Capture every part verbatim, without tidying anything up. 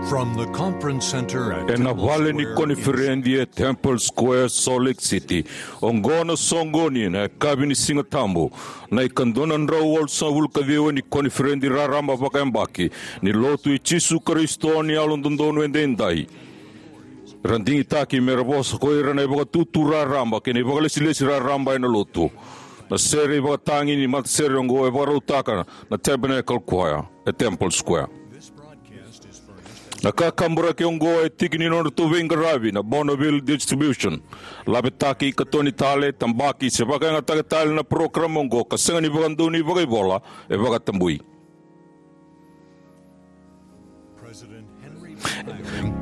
From the conference center at Ena Temple vale ni Square koniferedi e Temple Square, Salt Lake City, oqo na soqoni ena yakavi ni Siga Tabu, na ikadua na drau walusagavulu ka ciwa ni koniferedi raraba vakayabaki ni Lotu i Jisu Karisito ni Yalododonu Edaidai. Ra digitaki me ra vosa ko ira na ivakatutu raraba kei na ivakalesilesi raraba ena Lotu. Na sere ivakatagi ni matasere oqo e vakarautaka na Tabernacle Choir e Temple Square. Na kakaburaki oqo e tiki ni nodratou veiqaravi na Bonneville Distribution. Lavetaki, katoni tale, tabaki se vakayagataka tale na parokaramu oqo ka sega ni vakadonui vakaivola, e vakatabui.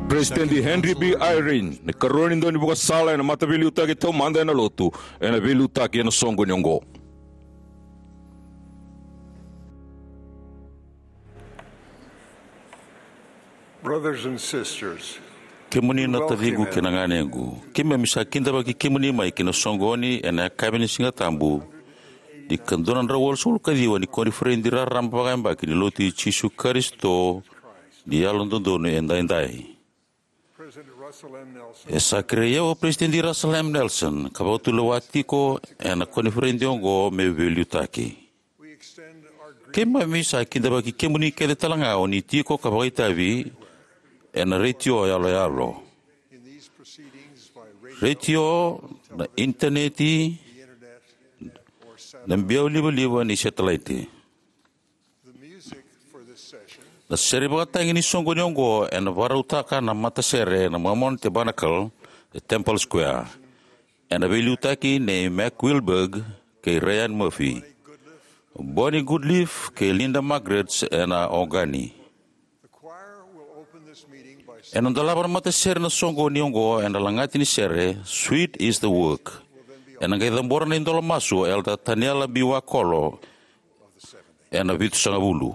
President Henry B. Eyring, na ikarua ni daunivakasala ena Mataveiliutaki Taumada ena Lotu, ena veiliutaki ena soqoni oqo. Brothers and sisters, kemuni na taciqu kei na ganequ, keimami sa kidavaki kemuni mai ki na soqoni ena yakavi ni Siga Tabu ni ikadua na drau walusagavulu ka ciwa ni koniferedi raraba vakayabaki ni Lotu i Jisu Karisito ni Yalododonu Edaidai. President Russell M. Nelson E sa kerei au o Peresitedi Russell M. Nelson ka vakatulewa tiko ena koniferedi oqo me veiliutaki. Keimami sa kidavaki kemuni kece talega o ni tiko ka vakaitavi ena retio yaloyalo, retio, na initaneti, na biau livaliva ni setelaiti. Na sere vakatagi ni soqoni oqo ena vakarautaka na matasere na Mormon Tabernacle e Temple Square, ena veiliutaki nei Mac Wilberg kei Ryan Murphy, Bonnie Goodleaf kei Linda Margaret ena ogani. Ena dolava na matasere na soqoni oqo ena lagati ni sere Sweet Is the Work. Ena qai cabora na idola masu o Elder Taniela B. Wakolo ena vitusagavulu.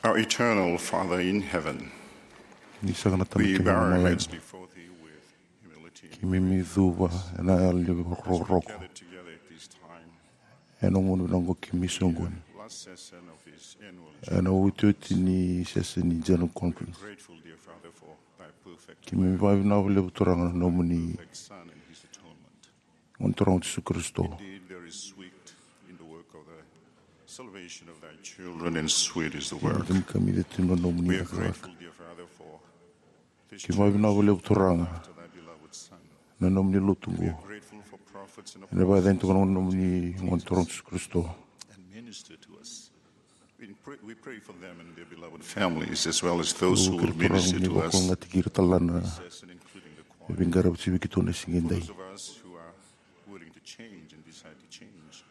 Our eternal Father in heaven, ni saka na Tamai, we bow our heads before thee with humility. Keimami cuva ena yalo ni rokoroko. Gathered together at this time, ena gauna vinaka oqo keimami soqoni, last session of this annual, ena iotioti ni session ni General Conference. Grateful, dear Father, for thy perfect. Keimami vakavinavinaka vakalevu, Turaga, na nomuni, perfect Son and his atonement. Gone Turaga o Jisu Karisito. Indeed, there is sweet in the work of the salvation of thy children, and sweet is the work. Keimami kamica tu na nomuni cakacaka. We are grateful, dear Father, for this church. Keimami vakavinavinaka vakalevu, Turaga, after thy beloved Son. Na nomuni lotu oqo. We are grateful for prophets and apostles. Ena vakayacani toka na nomuni Gone Turaga o Jisu Karisito. And minister to us. We pray, we pray for them and their beloved families, as well as those who will minister to us. Kerea, Turaga, mo ni vakalougatataki ira tale ga na, including the choir, e veiqaravi tiko vei keitou ena siga edai. Those of us who are willing to change and decide to change.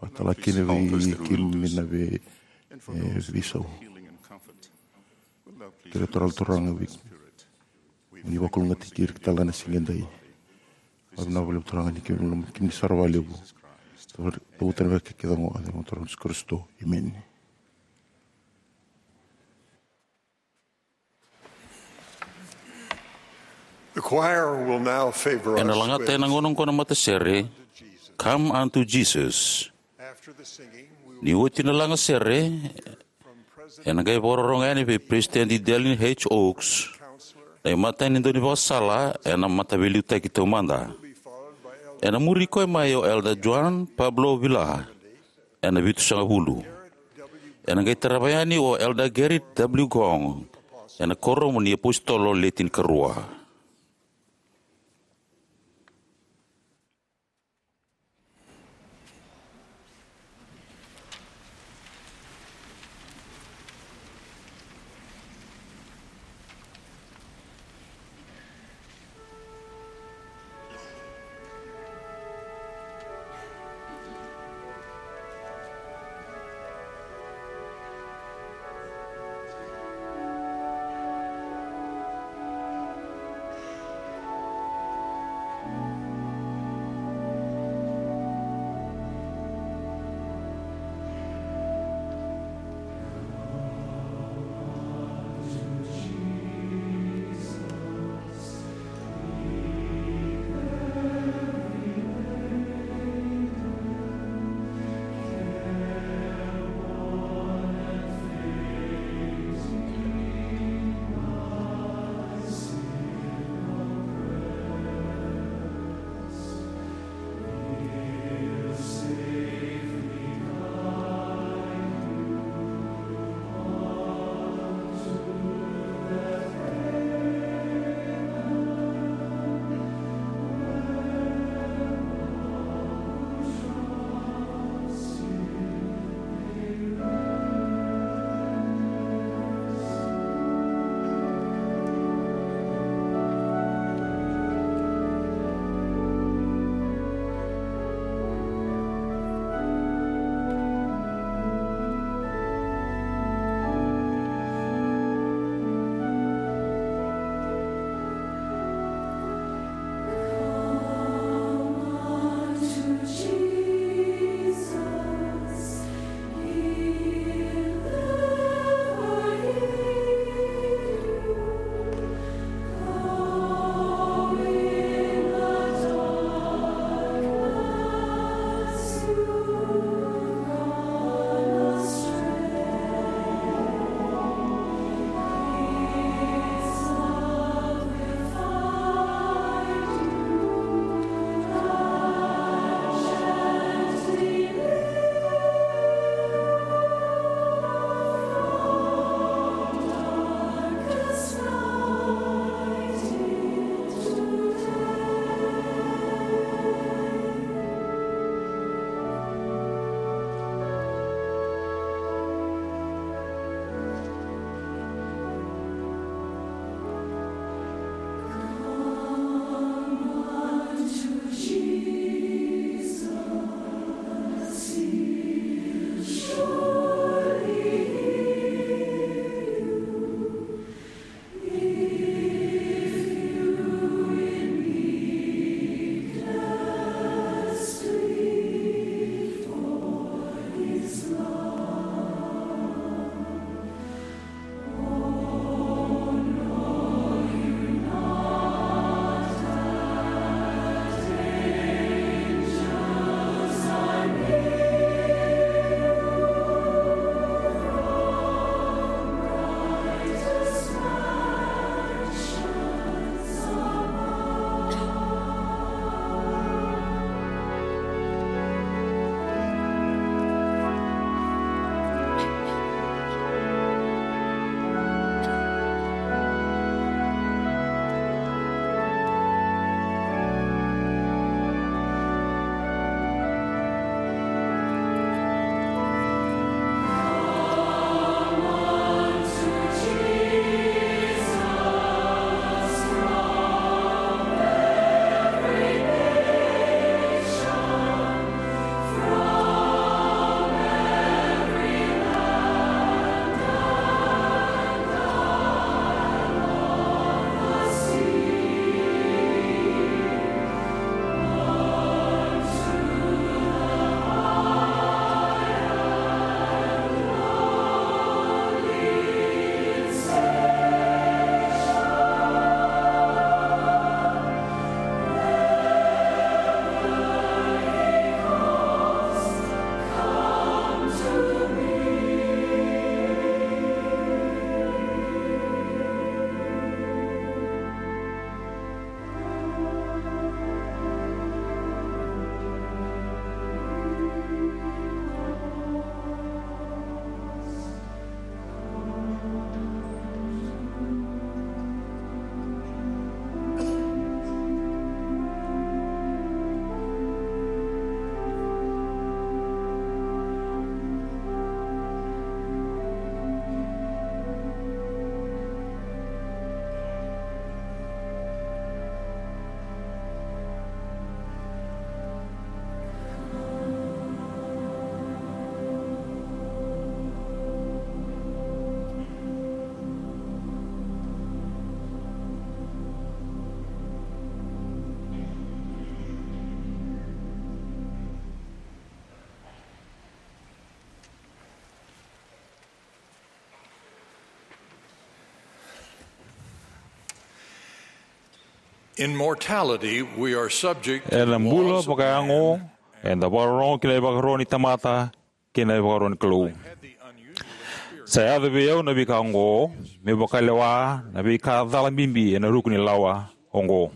Vakatale kina vei keimami na vei, e, veisau. Kerea, Turaga, Turaga, vei mo ni vakalougatataki ira tale ga ena siga edai. Vakavinavinaka vakalevu, Turaga, ni keimami, keimami sara vakalevu. Cavuta na veiyalayalati kece oqo ena yaca ni Gone Turaga o Jisu Karisito. Emeni. The choir will now favor us with Come Unto Jesus. Ena lagata ena gauna oqo na matasere, Come Unto Jesus. After the singing, we will Ni oti na lagasere, ena qai vakarorogo yani vei Peresitedi Dallin H. Oaks, na imatai ni daunivakasala ena Mataveiliutaki Taumada. Ena muri koya mai o Elder Juan Pablo Villar, ena vitusagavulu. Ena qai tarava yani o Elder Gerrit W. Gong, ena Kuoramu ni iApositolo Le Tinikarua. In mortality, we are subject to the laws of man. Ena bula vakayago, eda vakarorogo ki na ivakaro ni tamata kei na ivakaro ni Kalou. Sa yaco vei au na veika oqo, me vakalewa na veika cala bibi ena ruku ni lawa oqo.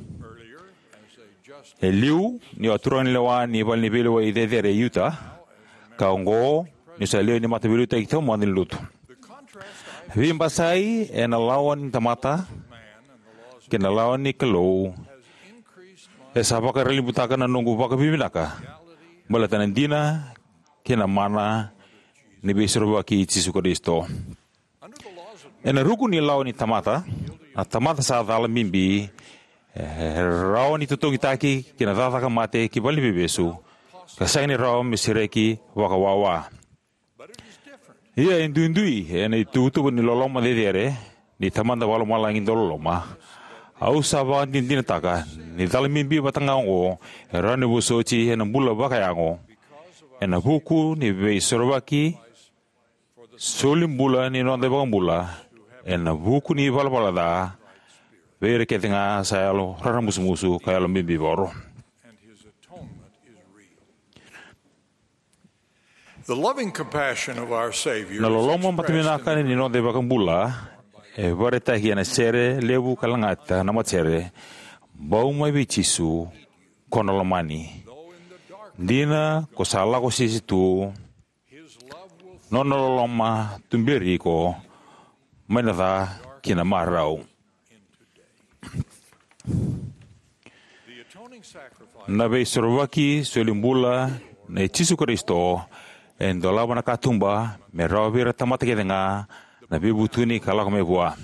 E liu, niu a turaganilewa ni vale ni veilewai cecere e Utah, ka oqo niu sa lewe ni mataveiliutaki taumada ni Lotu. Veibasai ena lawa ni tamata kei na lawa ni Kalou e sa vakaralibutaka na noqu vakavinavinaka baleta na dina kei na mana ni Veisorovaki i Jisu Karisito. Ena ruku ni lawa ni tamata, na tamata sa cala bibi e rawa ni totogitaki ki na cakacaka mate ki valeniveivesu, ka sega ni rawa me sereki vakawawa. Ia e duidui ena ituvatuva ni loloma cecere ni Tamada Vakalomalagi dauloloma. Au sa vakadinadinataka ni cala bibi vata ga oqo e rawa ni vosoti ena bula vakayago ena vuku ni Veisorovaki solibula ni noda iVakabula, ena vuku ni ivalavala ca vei ira kece ga sa yalo raramusumusu ka yalo bibivoro. The loving compassion of our Savior Na is loloma expressed matavinaka in the ni noda iVakabula e vakaraitaki ena sere levu ka lagata na matasere, Bau mai vei Jisu, ko na lomani. Dina ko sa lako sese tu, nona loloma tuberi iko mai na ca ki na marau. Na Veisorovaki solibula nei Jisu Karisito e dolava na katuba me rawa vei ira na tamata kece ga na veivutuni ka lako mai vua.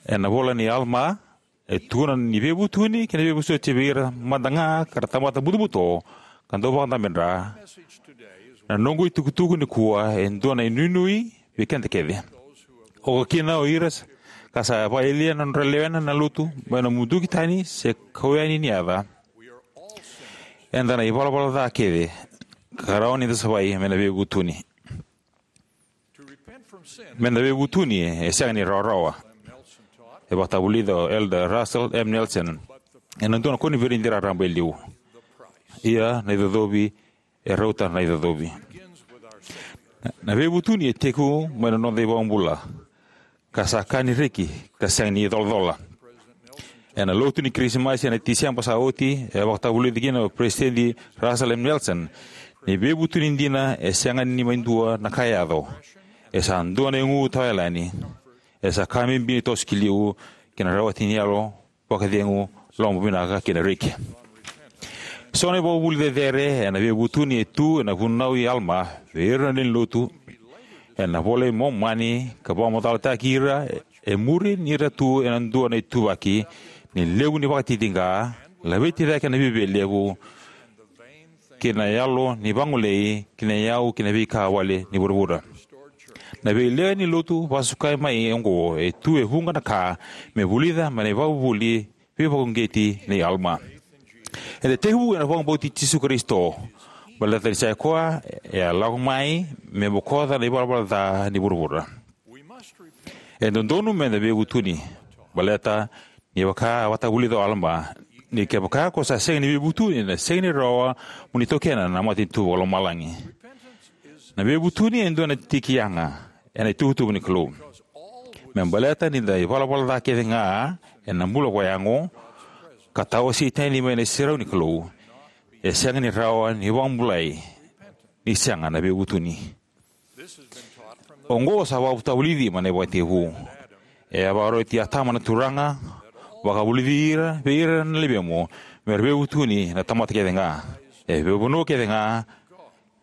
Ena ivola nei Alama, e tukuna ni veivutuni kei na veivosoti vei ira mada ga ka ra tamata butobuto ka dau vakadabedra. Na noqu itukutuku nikua e dua na inuinui vei keda kece, oka kina o ira ka sa vakayalia na nodra lewena na Lotu mai na muduki tani se kau yani ni yaca. Eda na ivalavala ca kece ka rawa ni da savai mai na veivutuni. Me da veivutuni e sega ni rawarawa. E vakatavulica o Elder Russell M. Nelson ena dua na koniferedi raraba e liu: Ia na icocovi e rauta na icocovi. Na veivutuni e tekivu mai na noda iVakabula, ka sa ka ni reki ka sega ni colacola. Ena lotu ni Kirisimasi ena Tiseba sa oti, e vakatavulica kina o Peresitedi Russell M. Nelson ni veivutuni dina e sega ni mai dua na ka e yaco. E sa dua na igu tawayalani. E sa ka bibi ni toso ki liu ki na rawati ni yalo vakacegu, lomavinaka kei na reki. So na ivakavuvuli cecere ena veivutuni e tu ena vunau i Alama vei ira na lewe ni Lotu. Ena iVola i Momani, ka vakamacalataki ira e muri ni ra tu ena dua na ituvaki ni levu ni vakatitiqa, laveti cake na viavialevu kei na yalo ni vagolei kei na iyau kei na veika wale ni vuravura. Na veilewe ni Lotu vakasukai mai oqo e tu e vuqa na ka me vulica mai na ivakavuvuli veivakauqeti nei Alama. Eda tekivu ena vakabauti Jisu Karisito, baleta ni sa i koya e a lako mai me bokoca na ivalavala ca ni vuravura. E dodonu me da veivutuni, baleta ni vaka a vakatavulica o Alama, ni kevaka ko sa sega ni veivutuni, ena sega ni rawa mo ni taukena na matanitu vakalomalagi. Na veivutuni e dua na tiki yaga ena ituvatuva ni Kalou. Me baleta ni da ivalavala ca kece ga ena bula vakayago, ka tawasei tani mai na iserau ni Kalou, e sega ni rawa ni vakabulai ni sega na veivutuni. Oqo sa vakatavulici mai na ivakatekivu. E a vakaroti Atama na Turaga, vakavulici ira vei ira na luvemu me ra veivutuni na tamata kece ga, e veivanua kece ga,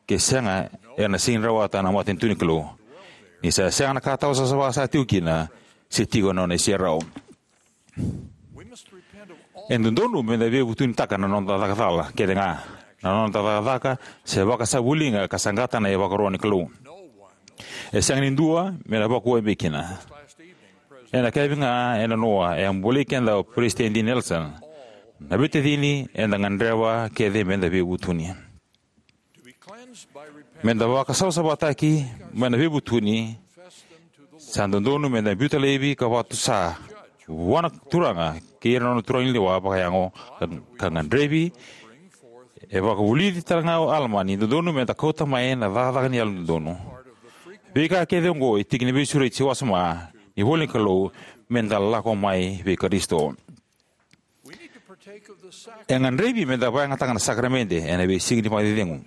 ke sega era na sega ni rawata na matanitu ni Kalou, ni sa sega na ka tawasavasava sa tiko kina se tiko ena nona iserau. E dodonu me da veivutunitaka na noda cakacala kece ga, na noda cakacaka se vakasavuliga ka saqata na ivakaro ni Kalou. E sega ni dua me na vakuwai mai kina. Ena yakavi ga ena noa e a bolei keda o Peresitedi Nelson, na veitacini, eda gadreva kece me da veivutuni. Me da vakasavasavataki mai na veivutuni, sa dodonu me da biuta laivi ka vakatusa vua na Turaga kei ira na nona turaganilewa vakayago, ka, ka gadrevi. E vakavulici tale ga o Alama ni dodonu me da kauta mai na cakacaka ni yalododonu. Veika kece oqo e tiki ni veisureti wasoma ni ivola ni Kalou me da lako mai vei Karisito. E gadrevi me da vakayagataka na sakaramede ena veisiga ni vakacecegu.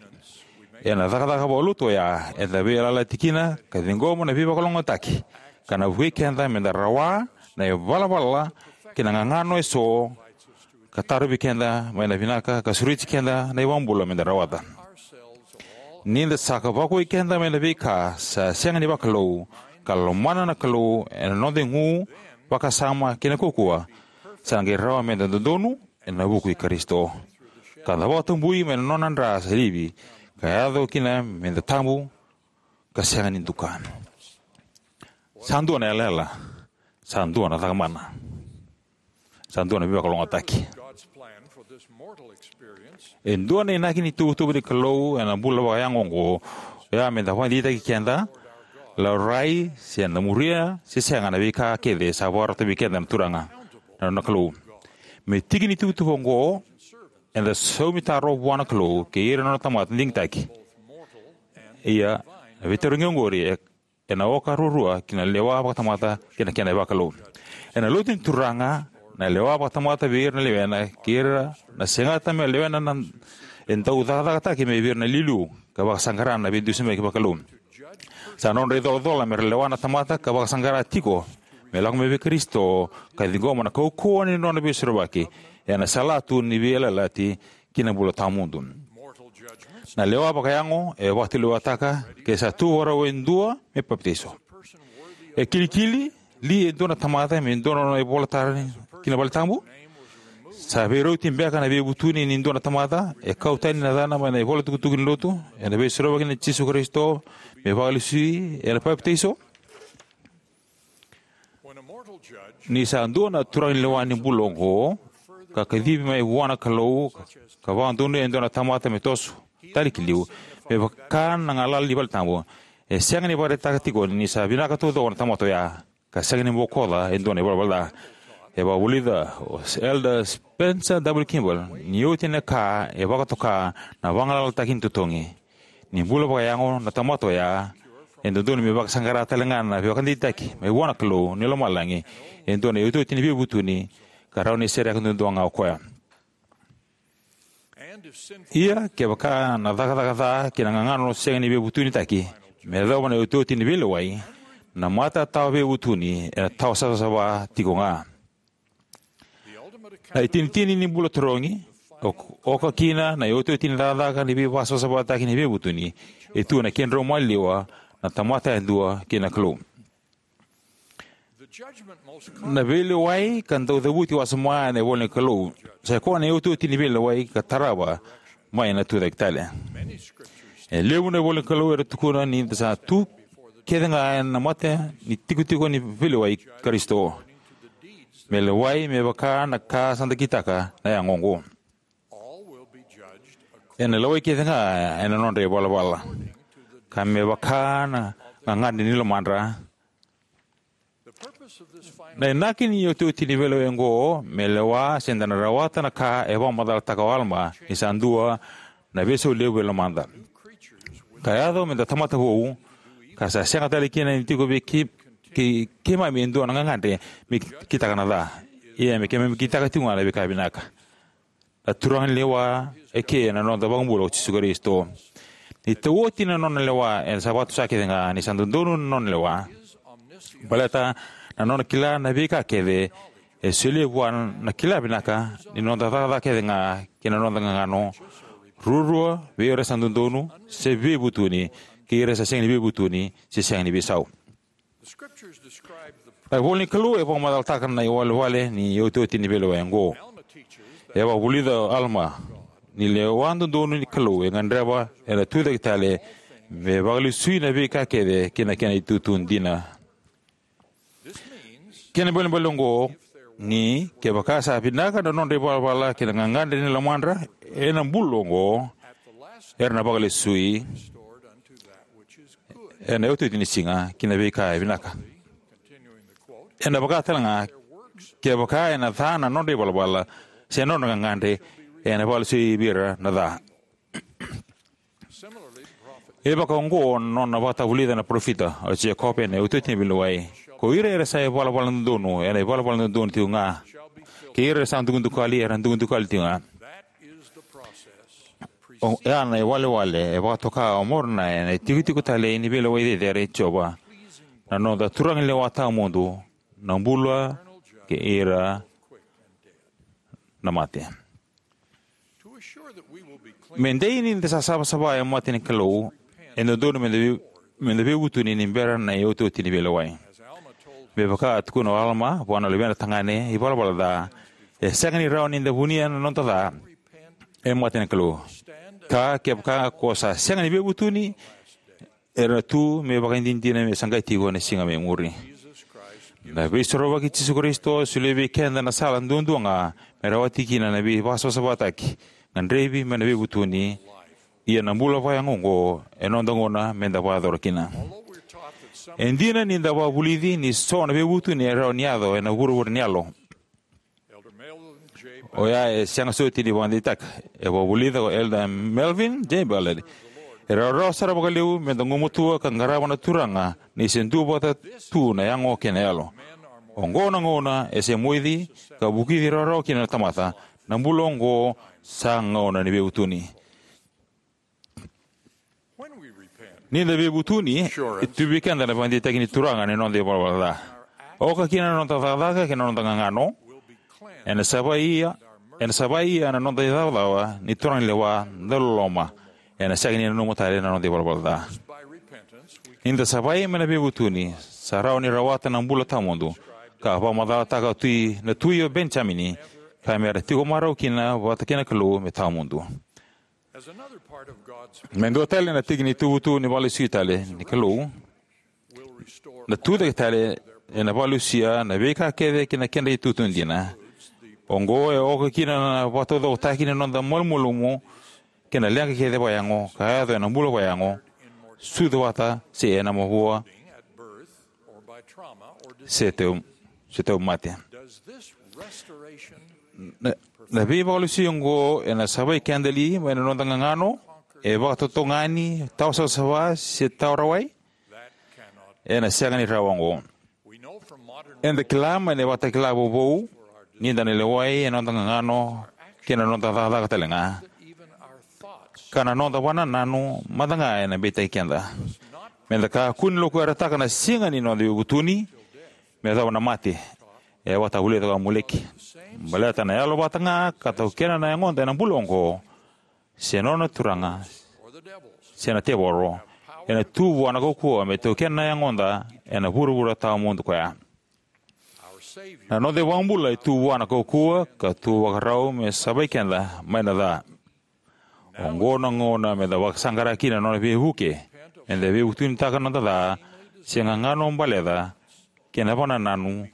Ena cakacaka vakalotu oya eda veiyalayalati kina ka ciqoma na veivakalougatataki ka na vukei keda me da rawa na ivalavala kei na gagano eso ka tarovi keda mai na vinaka ka sureti keda na iVakabula me da rawata. Ni da sa ka vakuwai keda mai na veika sa sega ni vakalou ka lomana na Kalou ena noda igu, vakasama kei na kaukauwa, sa qai rawa me da dodonu ena vuku i Karisito ka da vakatabui mai na nona dra sa livi ka yaco kina me da tabu ka sega ni duka. Sa dua na yalayala, sa dua na cakamana, sa dua na veivakalougatataki. E dua na inaki ni tuvatuva ni Kalou ena bula vakayago oqo, oya me da vakadeitaki keda, laurai se da muria se sega na veika kece sa vakarota vei keda na Turaga, na nona Kalou. Me tiki ni tuvatuva oqo, eda saumi taro vua na Kalou kei ira na nona tamata digitaki. Ia, na veitarogi oqori e, ena oka ruarua ki na lewa vakatamata kei na kena vakalou. Ena lotu ni Turaga, na lewa vakatamata vei ira na lewena kei ira na segata me lewena na, e dau cakacakataki mai vei ira na iliuliu ka vakasaqara na veidusimaki vakalou. Sa nodra icolacola me ra lewa na tamata ka vakasaqara tiko me lako mai vei Karisito ka ciqoma na kaukauwa ni nona veisorovaki ena salatu ni veiyalayalati ki na bula tawamudu. Na lewa vakayago e vakatulewataka ke sa tu vakarau e dua me papitaiso. E kilikili li e dua na tamata me dua na nona ivolatara ki na valetabu? Sa veirauti beka na veivutuni ni dua na tamata e kau tani na yacana mai na ivolatukutuku ni lotu ena veisorovaki nei Jisu Karisito me vakalesui ena papitaiso? Ni sa dua na turaganilewa ni bula oqo ka kacivi mai vua na Kalou ka vakadonuya e dua na tamata me toso tale ki liu me vaka na galala ni valetabu, e sega ni vakaraitaka tiko ni sa vinaka taucoko na tamata oya ka sega ni bokoca e dua na ivalavala ca. E vakavulica o Elder Spencer W. Kimball ni oti na ka e vakatoka na vagalalataki ni totogi. Ni bula vakayago na tamata oya, e dodonu me vakasaqara tale ga na veivakadeitaki mai vua na Kalou ni lomalagi e dua na iotioti ni veivutuni ka rawa ni sereka duadua ga o koya. Ia kevaka na cakacaka ca kei na gagano sega ni veivutunitaki me yacova na iotioti ni veilewai, na mata tawa veivutuni ena tawa savasava tiko ga. Na itinitini ni bula tarogi, o, oka kina na iotioti ni cakacaka ni veivakasavasavataki ni veivutuni, e tu ena kedrau maliwa na tamata yadua kei na Kalou. Na veilewai ka dau cavuti wasoma ena ivola ni Kalou sa i koya na iotioti ni veilewai ka tarava mai na tucake tale. E levu na ivola ni Kalou era tukuna ni da sa tu kece ga ena mata ni tikotiko ni veilewai i Karisito. Me lewai me vaka na ka sa da kitaka na yago oqo. Ena lewai kece ga ena nodra ivalavala ka me vaka na gagadre ni lomadra. Na inaki ni iotioti ni veilewai oqo me lewa se da na rawata na ka e vakamacalataka o Alama ni sa dua na veisau levu e lomada. Ka yaco me da tamata vou ka sa sega tale kina ni tiko vei kei, kei, keimami e dua na gagadre me kitaka na ca. Ia me keimami kitaka tiko ga na veika vinaka. Na turaga ni lewa e ke na noda iVakabula o Jisu Karisito. Ni tau oti na nona lewa ena sa vakatusa kece ga ni sa dodonu na nona lewa. Baleta na nona kila na veika kece e solia vua na kila vinaka ni noda cakacaka kece ga kei na noda gagano ruarua vei ira sa dodonu se veivutuni kei ira sa sega ni veivutuni se sega ni veisau. Na ivola ni Kalou e vakamacalataka na iwalewale ni iotioti ni veilewai oqo. E vakavulica o Alama ni lewa dodonu ni Kalou e gadreva ena tucake tale me vakalesui na veika kece kei na kena itutu dina. Kena ibalebale oqo ni kevaka sa vinaka na nodra ivalavala kei na gagadre ni lomadra ena bula oqo, era na vakalesui ena iotioti ni siga ki na veika e vinaka. Ena vaka tale ga Kevaka ena ca na nodra ivalavala se na nodra gagadre, ena vakalesui vei ira na ca. E vakaoqo na nona vakatavulica na parofita o Jekope ena iotioti ni veilewai: Ko ira era sa ivalavala dodonu era na ivalavala dodonu tiko ga, kei ira era sa dukadukali era na dukadukali tiko ga. O ya na iwalewale e vakatoka o Moronai ena itikotiko talei ni veilewai cecere i Jiova, na noda turaganilewa tawamudu, na bula kei ira na mate. Me dei ni da sa savasava e mata ni Kalou, e dodonu me da vei, me da veivutuni ni bera na iotioti ni veilewai. Me vaka a tukuna o Alama vua na luvena tagane ivalavala ca, e sega ni rawa ni da vunia na noda ca e mata ni Kalou. Ka kevaka ko sa sega ni veivutuni, era na tu me ivakadinadina me sa qai tiko ena siga mai muri. Na Veisorovaki i Jisu Karisito e solia vei keda na sala duadua ga me rawati kina na veivakasavasavataki, gadrevi mai na veivutuni, ia na bula vakayago oqo e noda gauna me da vakayacora kina. E dina ni da vakavulici ni so na veivutuni e rawa ni yaco ena vuravura ni yalo, o ya e sega soti ni vakadeitaka. E vakavulica o Elder Melvin J. Ballard: E rawarawa sara vakalevu me da gumatua ka qarava na Turaga ni se duavata tu na yago kei na yalo. Oqo na gauna e se moici ka vukici rawarawa kina na tamata. Na bula oqo sa gauna ni veivutuni. Ni da veivutuni, e tu vei keda na vakadeitaki ni Turaga ena noda ivalavala ca. Oka kina na noda cakacaka kei na noda gagano, ena savai ia, ena savai ia na noda icavacava ni turaganilewa dauloloma, ena sega ni nanuma tale na noda ivalavala ca. Ni da savai mai na veivutuni, sa rawa ni rawata na bula tawamudu, ka vakamacalataka o Tui, na Tui o Penijamini, ka me ra tiko marau kina vata kei na Kalou me tawamudu. Me dua tale na tiki ni ituvatuva ni vakalesui tale ni Kalou, na tucake tale ena vakalusia na veika kece ki na kedra itutu dina. Oqo e oka kina na vakataucokotaki ni noda malumalumu kei na leqa kece vakayago ka yaco ena bula vakayago, sucu vata se ena mavoa, se tau, se tau mate. Na, na veivakalusi oqo ena savai keda li mai na noda gagano e vakatotogani, tawa savasava, se tawa rawai? Ena sega ni rawa oqo. Eda kila mai na ivakatakila vovou ni da na lewai ena noda gagano kei na noda cakacaka tale ga, ka na noda vakanananu mada ga ena beitaki keda. Me da kakua ni lokuyarataka na siga ni noda veivutuni me yacova na mate, e vakatavulica ko Amuleki. Baleta na yalo vata ga ka taukena na yagoda ena bula oqo, se nona turaga, se na tevoro, ena tu vua na kaukauwa me taukena na yagoda ena vuravura tawamudu koya. Na noda iVakabula e tu vua na kaukauwa ka tu vakarau me savai keda mai na ca. Oqo na gauna me da vakasaqara kina na nona veivuke, me da veivutunitaka na noda ca, se gagano baleca, kei na vakanananu,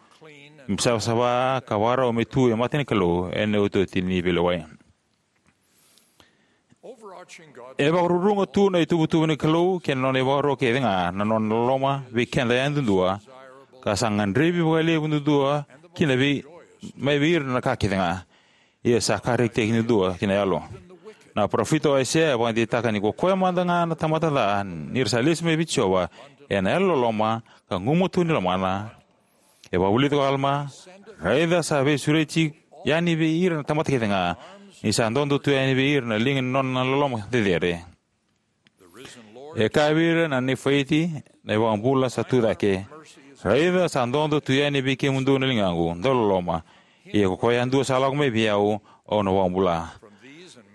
me savasava ka vakarau me tu e mata ni Kalou ena iotioti ni veilewai. E vakaruruga tu na ituvatuva ni Kalou kei na nona ivakaro kece ga na nona loloma vei keda yadudua, ka sa gadrevi vakalevu duadua kina vei, mai vei ira na ka kece ga. Ia sa ka rekitaki duadua ki na yalo. Na parofita o Aisea e vakadeitaka ni ko koya mada ga na tamata ca, ni ra sa lesu mai vei Jiova, ena yalololoma ka gumatua ni lomana. E vakavulica ko Alama: Raica sa veisureti yani vei ira na tamata kece ga, ni sa dodo tu yani vei ira na liga ni nona loloma cecere. E kaya vei ira na Nifaiti na iVakabula sa tu cake: Raica sa dodo tu yani vei kemudou na ligaqu dauloloma, ia ko koya yadua sa lako mai vei au, au na vakabula.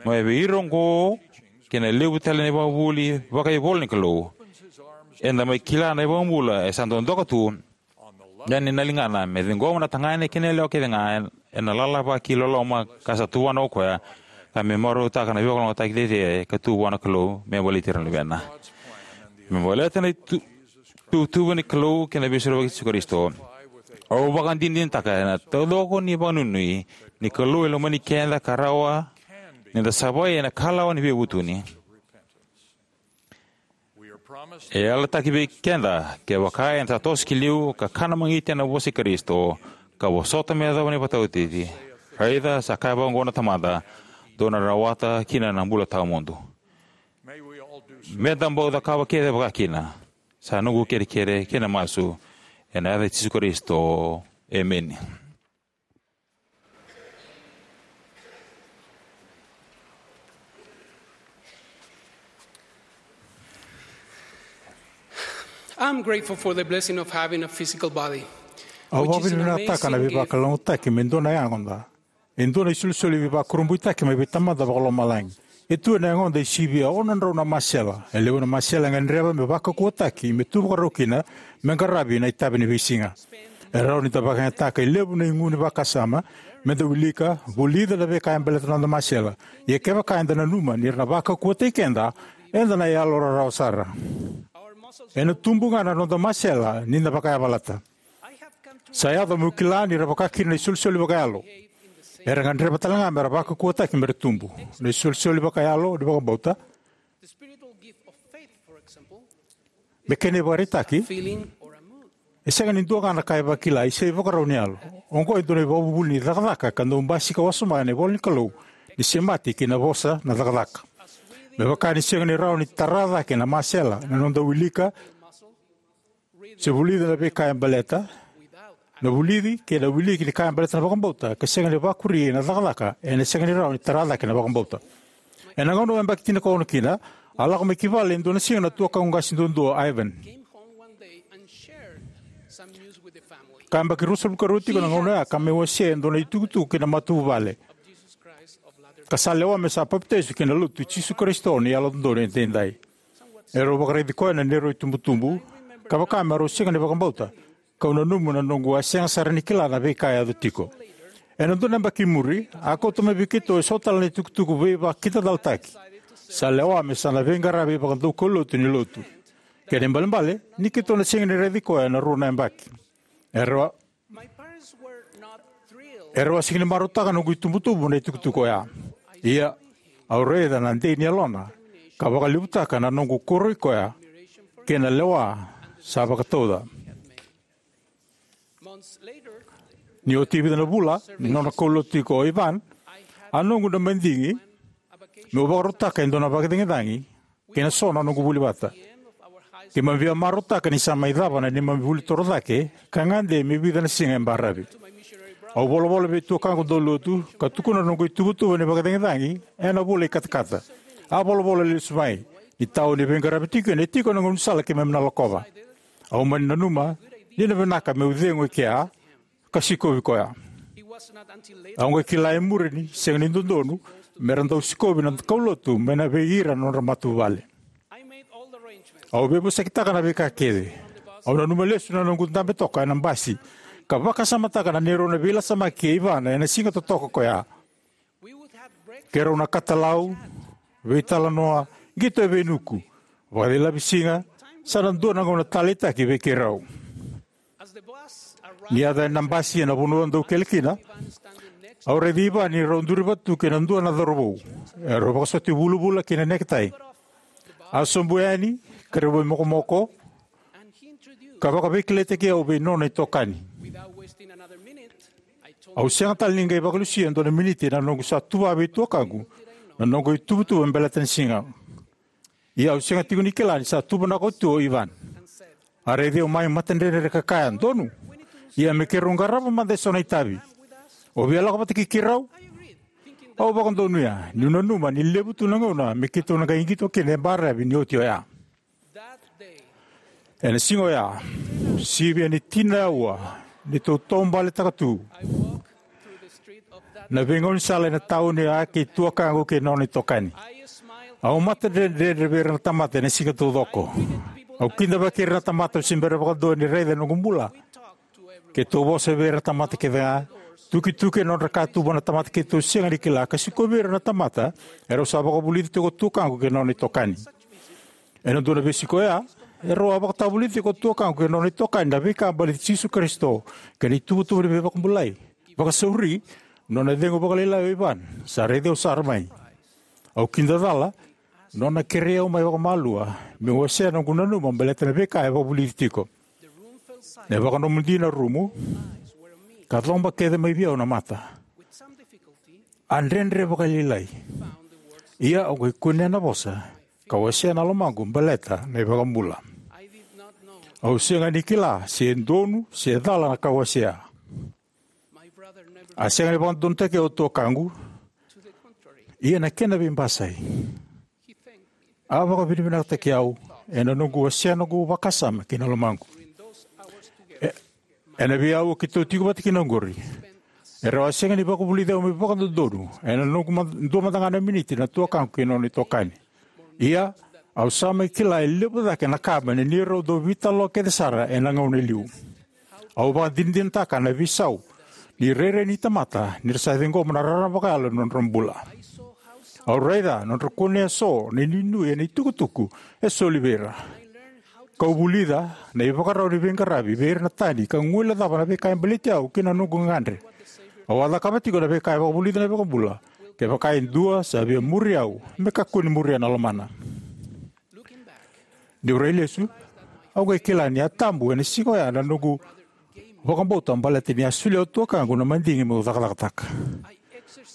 Mai vei ira oqo kei na levu tale na ivakavuvuli vakaivolanikalou, eda mai kila na iVakabula e sa dodoka tu yani na ligana me ciqoma na tagane kei na yalewa kece ga ena lala vakailoloma ka sa tuvana o koya, ka me marautaka na veivakalougatataki cecere ka tu vua na Kalou me baleti ira na luvena. Me baleta na itu-, ituvatuva ni Kalou kei na Veisorovaki i Jisu Karisito, au vakadinadinataka ena taucoko ni vakanuinui ni Kalou e lomani keda ka rawa ni da savai ena ikalawa ni veivutuni. E yalataki vei keda, kevaka eda sa toso ki liu ka kana magiti ena vosa i Karisito, ka vosota me yacova na ivakataotioti. Raica, sa kaya vakaoqo na Tamada, dou na rawata kina na bula tawamudu. Me da bau cakava kece vakakina. Sa noqu kerekere kei na masu, ena yaca i Jisu Karisito. Emeni. I'm grateful for the blessing of having a physical body, Au which is an vakavinavinakataka na amazing gift. Veivakalougatataki me dua na yagoda. E dua na isolisoli veivakurabuitaki mai vei Tamada Vakalomalagi. E tu ena yagoda e sivia ono na drau na masela. E levu na masela e gadreva me vakaukauwataki, me tu vakarau kina, me qaravi na itavi ni veisiga. E rawa ni da vakayagataka e levu na igu ni vakasama, me da wilika, vulica na veika e baleta na noda masela. Ia kevaka eda nanuma ni ra na vakaukauwataki keda, eda na yalo rarawa sara. Ena tubu ga na noda masela ni da vakayavalata. Sa yaco meu kila ni ra vaka kina na isolisoli vakayalo. Era gadreva tale ga me ra vakaukauwataki me ra tubu. Na isolisoli vakayalo ni vakabauta. Me kena ivakaraitaki, e sega ni dua ga na ka e vakila, e se ivakarau ni yalo. Oqo e dua na ivakavuvuli ni cakacaka ka dau basika wasoma ena ivola ni Kalou, ni semati kei na vosa na cakacaka. Me vaka ni sega ni rawa ni tara cake na masela, na noda wilika, se vulica na veika e baleta, na vulici kei na wiliki ni ka e baleta na vakabauta, ka sega ni vakuri na cakacaka, ena sega ni rawa ni tara cake na vakabauta. Ena gauna au yabaki tinikaono kina, a lako mai ki vale e dua na siga na tuakaqu qase duadua o Ivan. Ka yabaki ruasagavulu ka rua tiko na gauna oya, ka mai wasea e dua na itukutuku ki na matavuvale. Ka sa lewa me sa papitaiso ki na Lotu i Jisu Karisito ni Yalododonu Edaidai. Erau vakaraici koya na neirau itubutubu, ka vaka me rau sega ni vakabauta. Kau nanuma na noqu a sega sara ni kila na veika e yaco tiko. Ena dua na yabaki i muri, a kauta mai vei keitou eso tale na itukutuku veivakakidacalataki. Sa lewa me sa na veiqaravi vakadaukaulotu ni Lotu. Kena ibalebale, ni keitou na sega ni raici koya ena rua na yabaki. Erau Erau a sega ni marautaka na noqu itubutubu na itukutuku oya. Ia, au raica na dei ni yalona, ka vakalevutaka na noqu koroi koya, kei na lewa sa vakatauca. Ni oti e vica na vula ni nona kaulotu tiko o Ivan, a noqu na madigi meu vakarautaka e dua na vakacagicagi kei na so na noqu vuli vata. Keimami via marautaka ni sa mai cava na neimami vuli toro cake, ka gade me vica na siga e baravi. Au volavola vei tuakaqu daulolotu, ka tukuna na noqu ituvatuva ni vakacagicagi ena vula i katakata. A volavola lesu mai, ni tauni e veiqaravi tiko kina, e tiko na gaunisala keimami na lakova. Au mani nanuma ni na vinaka meu cegu e kea, ka sikovi koya. Au qai kila e muri ni sega ni dodonu me ra dau sikovi na kaulotu mai na vei ira na nodra matavuvale. Au veivosakitaka na veika kece. Au nanuma lesu na noqu dabe toka ena basi, ka vakasamataka na neirau na veilasamaki kei Ivana ena siga totoka koya. Keirau na katalau, veitalanoa, qito e veinuku, vakacilavi siga, sa na dua na gauna taleitaki vei keirau. Ni yaco na basi ena vanua dau kele kina, au raici Ivan ni rau duri vata tu kei na dua na cauravou. Erau vakasoti vulavula kei na neketai. A sobu yani, ka rau veimokomoko, ka vakaveikilaitaki au vei nona itokani. Au sega tale ni qai vakalusia e dua na miniti na noqu sa tuva vei tuakaqu na noqu ituvatuva me baleta na siga. Ia au sega tiko ni kila ni sa tuvanaka oti tu o Ivan. A raici au mai matadredre ka kaya, "Donu. Ia me keirau qarava mada eso na itavi. O via lako vata kei keirau?" Au vakadonuya, niu nanuma ni levu tu na gauna me keitou na qai qito kina e baravi ni oti oya. Ena siga oya, sivia ni tini na aua, ni tou taubaletaka tu na veigaunisala ena tauni oya kei tuakaqu kei na nona itokani. Au matadredredre vei ira na tamata ena siga taucoko. Au kidavaki ira na tamata, au se bera vakadua ni raica na noqu bula. Keitou vosa vei ira na tamata kece ga, tukituki ena nodra katuba na tamata keitou sega ni kila, ka sikovi ira na tamata erau sa vakavulici tiko o tuakaqu kei na nona itokani. Ena dua na veisiko oya, erau a vakatavulici tiko o tuakaqu kei na nona itokani na veika baleti Jisu Karisito kei na ituvatuva ni veivakabulai. Vakasauri, nona cegu vakalailai o Ivan, sa raici au sara mai. Au kidacala, nona kerei au mai vakamalua meu wasea na noqu nanuma baleta na veika e vakavulici tiko. Na vakanomodi na rumu, ka coba kece mai vei au na mata. A dredre vakalailai. Ia au qai kunea na vosa ka wasea na lomaqu baleta na iVakabula. Au sega ni kila se donu se cala na ka wasea. A sega ni vakadodonutaki au o tuakaqu. Ia na kena veibasai, a vakavinavinakataki au ena noqu wasea noqu vakasama kei na lomaqu. E, ena veiaua keitou tiko vata kina oqori, e rau a sega ni vakavulici au me vakadodonu ena noqu ma-, dua mada ga na miniti na tuakaqu kei na nona itokani. Ia, au sa mai kila e levu cake na ka mai na neirau dau veitalanoa kece sara ena gauna e liu. Au vakadinadinataka na veisau ni rairai ni tamata ni ra sa ciqoma na rarama vakayalo ena nodra bula. Au raica nodra kunea eso na inuinui ena itukutuku e soli vei ira. Kau vulica na ivakarau ni veiqaravi vei ira na tani ka guilecava na veika e baleti au kei na noqu gagadre. Au a cakava tiko na veika e vakavulica na iVakabula kevaka e dua sa via muri au me kakua ni muria na lomana. Niu rai lesu, au qai kila ni a tabu ena siga oya na noqu vakabauta baleta ni a solia o tuakaqu na madigi meu cakacakataka.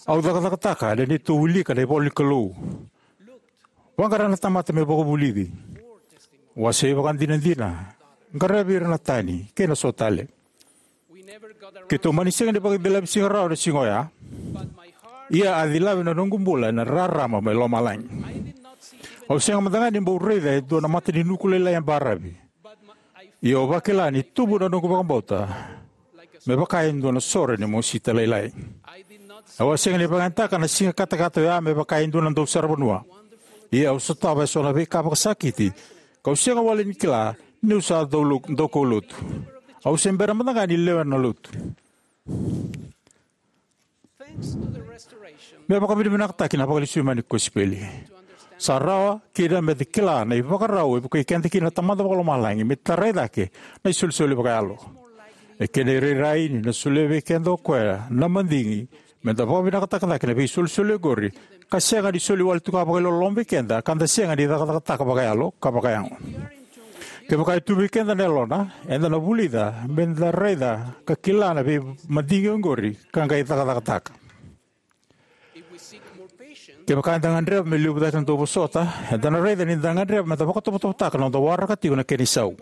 Au cakacakataka ena neitou wilika na ivola ni Kalou, vaqara na tamata me vakavulici, wasei vakadinadina, qaravi ira na tani kei na so tale. Keitou mani sega ni vakacilava sega rawa na siga oya. Ia a cilava na noqu bula ena rarama mai lomalagi. Au sega mada ga ni bau raica e dua na mata ni nuku lailai e baravi. Ia au vakila ni tubu na noqu vakabauta me vaka e dua na sore ni mosita lailai. Au a sega ni vakayagataka na siga katakata oya me vaka e dua na dausaravanua. Ia au sotava eso na veika vakasakiti kau sega wale ni kila niu sa dau lo-, dau kaulotu. Au se bera mada ga ni lewena na lotu. Me vakavinavinakataki na vakalesui mai ni kosipeli, sa rawa kina meda kila na ivakarau e vukei keda kina na Tamada Vakalomalagi me tarai cake na isolisoli vakayalo. E kena irairai ni na solia vei keda o koya na madigi meda vakavinakataka cake na veisolisoli oqori, ka sega ni soli wale tu ga vakailoloma vei keda ka da sega ni cakacakataka vakayalo ka vakayago. Kevaka e tu vei keda na yalona, eda na vulica meda raica ka kila na veimadigi oqori ka qai cakacakataka. Kevaka eda gadreva me levu cake na dauvosota, eda na raica ni da gadreva meda vakatovotovotaka na noda waraka tiko na kena isau.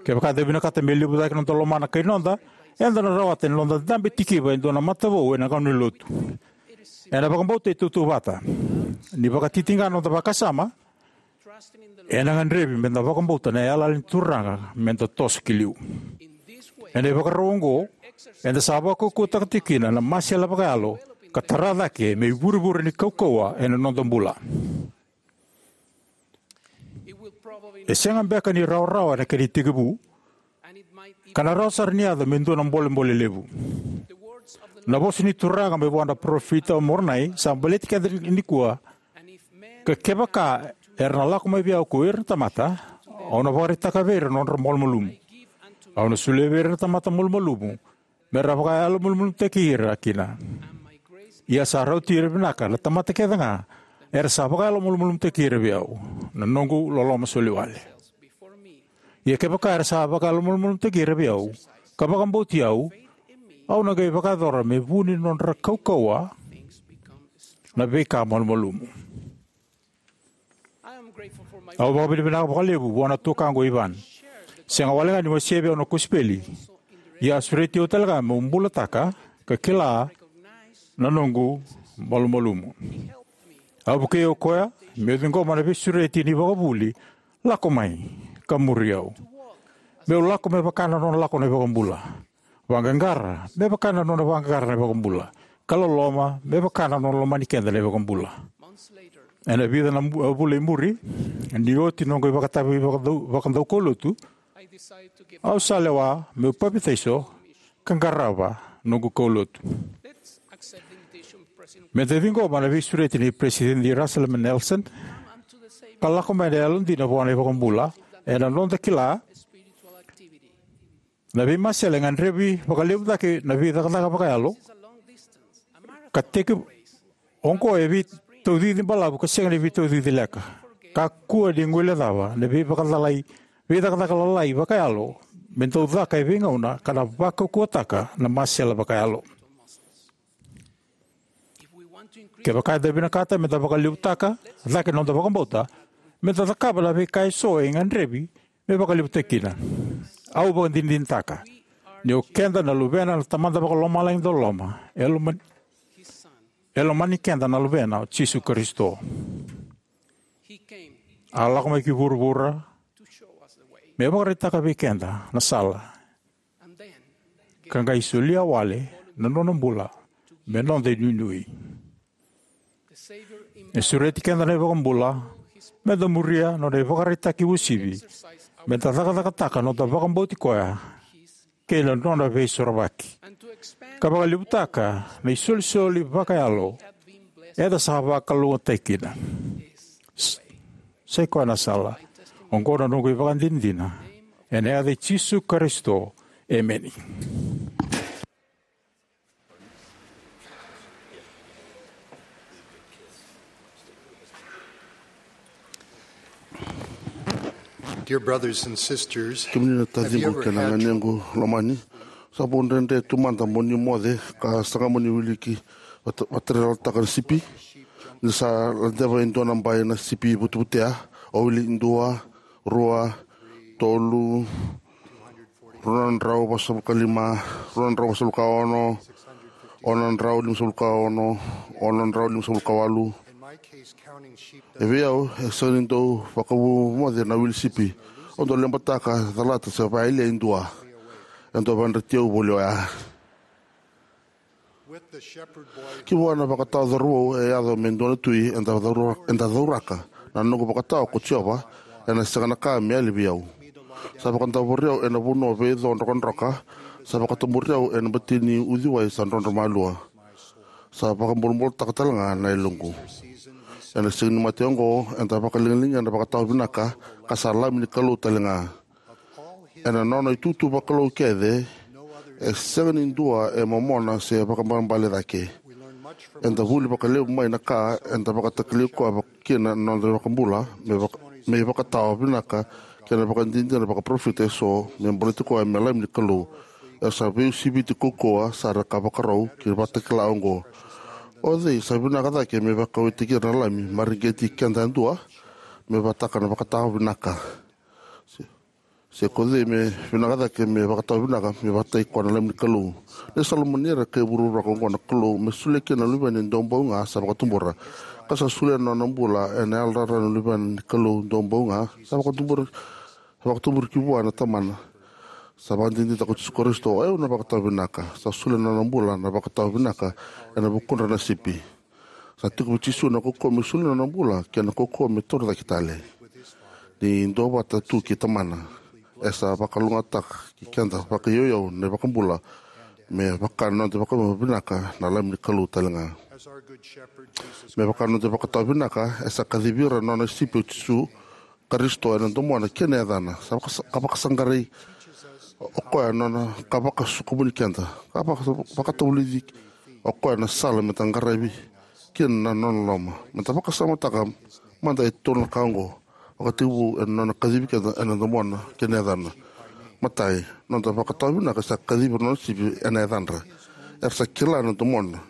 Kevaka eda vinakata me levu cake na noda lomana kai noda, eda na rawata ni noda dabe tikiva e dua na mata vou ena gauna ni lotu. Ena vakabauta e tautauvata, ni vakatitiqa na noda vakasama, ena gadrevi meda vakabauta na yalayala ni Turaga meda toso ki liu. Ena ivakarau oqo, eda sa vakaukauwataka tiko kina na masela vakayalo ka tara cake me ivurevure ni kaukauwa ena noda bula. E sega beka ni rawarawa ena kena itekivu, ka na rawa sara ni yaco me dua na bolebole levu. Na vosa ni Turaga mai vua na parofita o Moronai sa baleti keda nikua: Ka kevaka era na lako mai vei au ko ira na tamata, au na vakaraitaka vei ira na nodra malumalumu. Au na solia vei ira na tamata malumalumu me ra vakayalomalumalumutaki ira kina. Ia sa rauti ira vinaka na tamata kece ga era sa vakayalomalumalumutaki ira vei au, na noqu loloma soli wale. Ia kevaka era sa vakayalomalumalumutaki ira vei au ka vakabauti au, au na qai vakayacora me vu ni nodra kaukauwa na veika malumalumu. Au vakavinavinaka vakalevu vua na tuakaqu o Ivan. Sega wale ga ni wasea vei au na kosipeli, ia a sureti au tale ga meu bulataka ka kila na noqu malumalumu. A vukei au o koya meu ciqoma na veisureti ni vakavuli, "Lako mai ka muri au." Meu lako me vaka na nona lako na iVakabula, vaqaqara me vaka na nona vaqaqara na iVakabula, ka loloma me vaka na nona lomani keda na iVakabula. Ena vica na mu-, vula i muri, ni oti noqu ivakatavi vakadau-, vakadaukaulotu, au sa lewa meu papitaiso ka qarava noqu kaulotu. Meda ciqoma na veisureti nei Peresitedi Russell M. Nelson ka lako mai na yalodina vua na iVakabula ena noda kila na veimasela e gadrevi vakalevu cake na veicakacaka vakayalo, ka teki oqo e veitaucici balavu ka sega ni veitaucici leka. Kakua ni guilecava na veivakacalai, veicakacaka lalai vakayalo me dau caka e veigauna ka na vakaukauwataka na masela vakayalo. Kevaka eda vinakata me da vakalevutaka cake na noda vakabauta, me da cakava na veika eso e gadrevi me vakalevutaki kina. Au vakadinadinataka ni o keda na luvena na Tamada Vakalomalagi dauloloma. E lomani, e lomani keda na Luvena, o Jisu Karisito. A lako mai ki vuravura me vakaraitaka vei keda na sala, ka qai solia wale na nona bula me noda inuinui. E sureti keda na iVakabula me da muria nona ivakaraitaki uasivi, me da cakacakataka noda vakabauti koya kei na nona veisorovaki, ka vakalevutaka na isolisoli vakayalo eda sa vakalougatataki kina. S-, sai koya na sala. Oqo na noqu ivakadinadina ena yaca i Jisu Karisito. Emeni. Dear brothers and sisters, kemuni na taciqu kei na ganequ lomani, sa vo dredre tu mada mo ni moce ka saga mo ni wiliki vata-, vatarelataka na sipi. Ni sa ladeva e dua na bai na sipi vutevutea, o wili dua, rua, tolu, rua na drau vasagavulu ka lima, rua na drau vasagavulu ka ono, ono na drau limasagavulu ka ono, ono na drau limasagavulu ka walu. E vei au, e sega ni dau vakavu moce na wili sipi. Au dau lebataka, calata se vakayalia e dua. E dau vakayadrati au voli oya. Ki vua na vakatawa cauravou e yaco me dua na tui eda caura-, eda cauraka. Na noqu vakatawa ko Jiova, ena sega na ka me yali vei au. Sa vakadavori au ena vanua veico drokadroka, sa vakatuburi au ena bati ni uciwai sa drodro malua. Sa vakabulabulataka tale ga na yaloqu. Ena siga ni mate oqo, eda vakaligaliga na vakatawa vinaka, ka sa Lami ni Kalou tale ga. Ena nona itutu vakalou kece, e sega ni dua e momona se vakaibalebale cake. Eda vuli vakalevu mai na ka eda vakatakilai koya vaka-, kina na noda iVakabula, me vaka-, me ivakatawa vinaka kei na ivakadinadina vakaparofita eso, me baleti koya me Lami ni Kalou. E sa veiusiviti kaukauwa sara ka vakarau ki na Vakatakila oqo. O cei sa vinaka cake me vakaueti ira na lami, mareqeti keda yadua, me vakataka na vakatawa vinaka? Se, se ko cei me vinaka cake me vakatawa vinaka, me vakataki koya na Lami ni Kalou? Ni sa lomani ira kei vuravura oqo na Kalou, me solia kina na Luvena e Daubau Ga sa vakatubura, ka sa solia na nona bula ena yalorara na Luvena ni Kalou Daubau Ga sa vakatubura, sa vakatubura ki vua na Tamana. Sa vakadinadinataka ko Jisu Karisito, o yau na vakatawa vinaka. Sa solia na nona bula na vakatawa vinaka ena vukudra na sipi. Sa tiko vei Jisu na kaukauwa me solia na nona bula kei na kaukauwa me tauri cake tale. Ni duavata tu kei Tamana, e sa vakalougatataki keda vakaiyauyau na iVakabula, me vaka na noda vakavinavinaka na Lami ni Kalou tale ga. Me vaka na noda vakatawa vinaka, e sa kacivi ira na nona sipi o Jisu Karisito ena domona kei na yacana. Sa vakasa-, ka vakasaqarai o koya na nona, ka vakasukumuni keda, ka vaka-, vakatavulici o koya na sala me da qaravi kina na nona loloma. Me da vakasamataka mada e tolu na ka oqo. Vakatekivu, ena nona kacivi keda ena domona kei na yacana. Matai, noda vakatawa vinaka sa kacivi ira na nona sipi ena yacadra. Era sa kila na domona,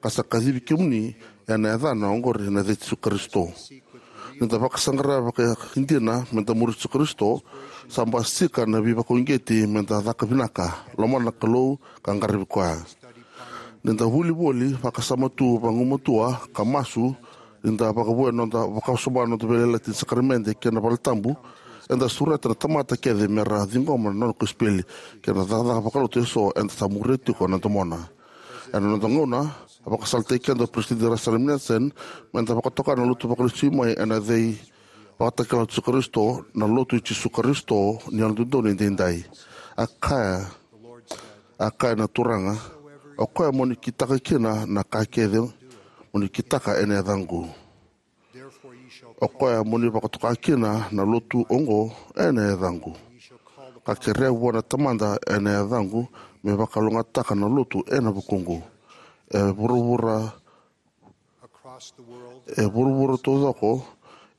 ka sa kacivi kemuni ena yacana oqori na yaca i Jisu Karisito. Ni da vakasaqara vakaidina me da muri Jisu Karisito, sa basika na veivakauqeti me da caka vinaka, lomana na Kalou, ka qaravi koya. Ni da vuli voli, vakasama tu vagumatua, ka masu, ni da vakavouya na noda, vakasoma na noda veiyalayalati ni sakaramede kei na valetabu, eda sureta na tamata kece me ra ciqoma na nona kosipeli kei na cakacaka vakalotu eso eda sa muria tiko na domona. Ena noda gauna, a vakasalataki keda o Peresitedi Russell M. Nelson me da vakatoka na Lotu Vakalesui Mai ena yaca i Vakatakila o Jisu Karisito, na Lotu i Jisu Karisito ni Yalododonu Edaidai. A kaya, a kaya na Turaga, o koya mo ni kitaka kina na ka kece mo ni kitaka ena yacaqu, o koya mo ni vakatoka kina na lotu oqo ena yacaqu. Ka kerea vua na Tamada ena yacaqu, me vakalougatataka na lotu ena vukuqu. E vuravura, e vuravura taucoko,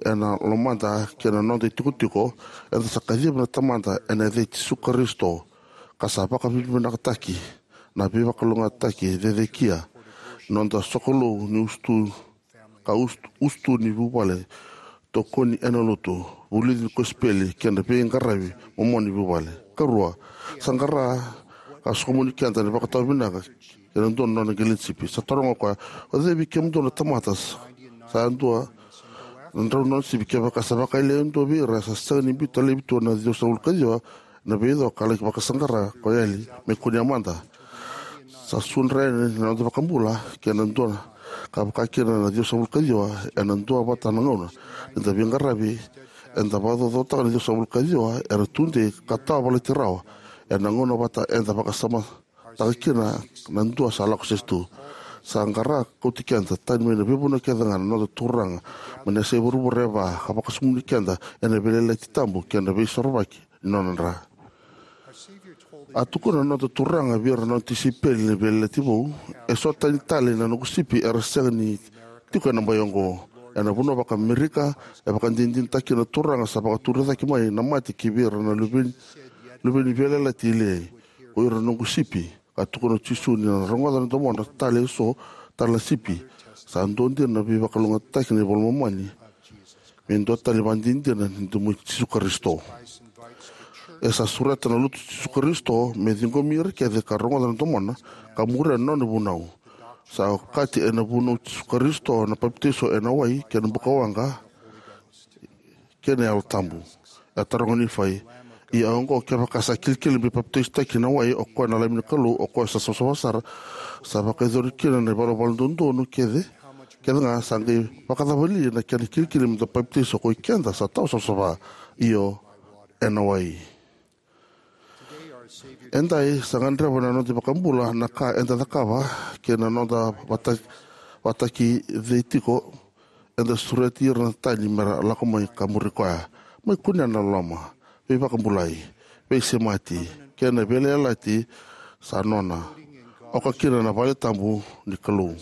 ena lomada kei na noda itikotiko, eda sa kaciva na Tamada ena yaca i Jisu Karisito, ka sa vakavinavinakataki na veivakalougatataki cecekia, noda sokalou ni usutu, ka usutu, usutu ni vuvale, tokoni ena lotu, vulici ni kosipeli kei na veiqaravi momona ni vuvale. Karua, sa qara ka sokomuni keda na vakatawa vinaka kei na dua na nona qele ni sipi. Sa taroga o koya, o cei vei kemudou na tamata sa, sa dua na drau na nona sipi, kevaka sa vakayalia e dua vei ira sa sega ni biuta laivi tu na ciwasagavulu ka ciwa na veico ka laki vakasaqara ko yali me kunea mada. Sa sudra yani na noda vakabula kei na dua ka vaka kina na ciwasagavulu ka ciwa ena dua vata na gauna. Ni da veiqaravi, eda vakacaucautaka na ciwasagavulu ka ciwa era tudei ka tawa valati rawa ena gauna vata eda vakasamataka kina na dua sa lako sese tu. Sa qara kauti keda tani mai na veivanua kece ga na noda Turaga mai na yasai vuravura e va, ka vakasokomuni keda ena veiyalayalati tabu kei na veisorovaki ni nona dra. A tukuna na noda Turaga vei ira na nona tisaipeli ni veiyalayalati vou, e so tani tale na noqu sipi era sega ni tiko ena bai oqo. Ena vanua vaka-Amerika, e vakadinadinataki na Turaga sa vakaturi cake mai na mate ki vei ira na luve ni, luve ni veiyalayalati lailai, ko ira na noqu sipi. Ka tukuna o Jisu ni na rogoca na domodra tale e so tale na sipi. Sa dua dina na veivakalougatataki na iVola i Momani me dua tale na ivakadinadina ni domo i Jisu Karisito. E sa sureta na lotu i Jisu Karisito me ciqomi ira kece ka rogoca na domona ka muria na nona vunau. Sa okati ena vunau i Jisu Karisito na papitaiso ena wai kei na bukawaqa kei na Yalo Tabu. E taroga o Nifai, ia oqo, kevaka sa kilikili me papitaisotaki na wai o koya na Lami ni Kalou, o koya sa savasava sara, sa vakayacori kina na ivalavala dodonu kece, kece ga, sa qai vakacava li na kena kilikili me da papitaiso koi keda sa tawa savasava, io, ena wai. Edai sa gadreva na noda iVakabula na ka eda cakava kei na noda vata, vakataki cei tiko. Eda sureti ira na tani mera lako mai ka muri koya. Mai kunea na loloma, veivakabulai, veisemati kei na veiyalayalati sa nona, oka kina na vale tabu ni Kalou.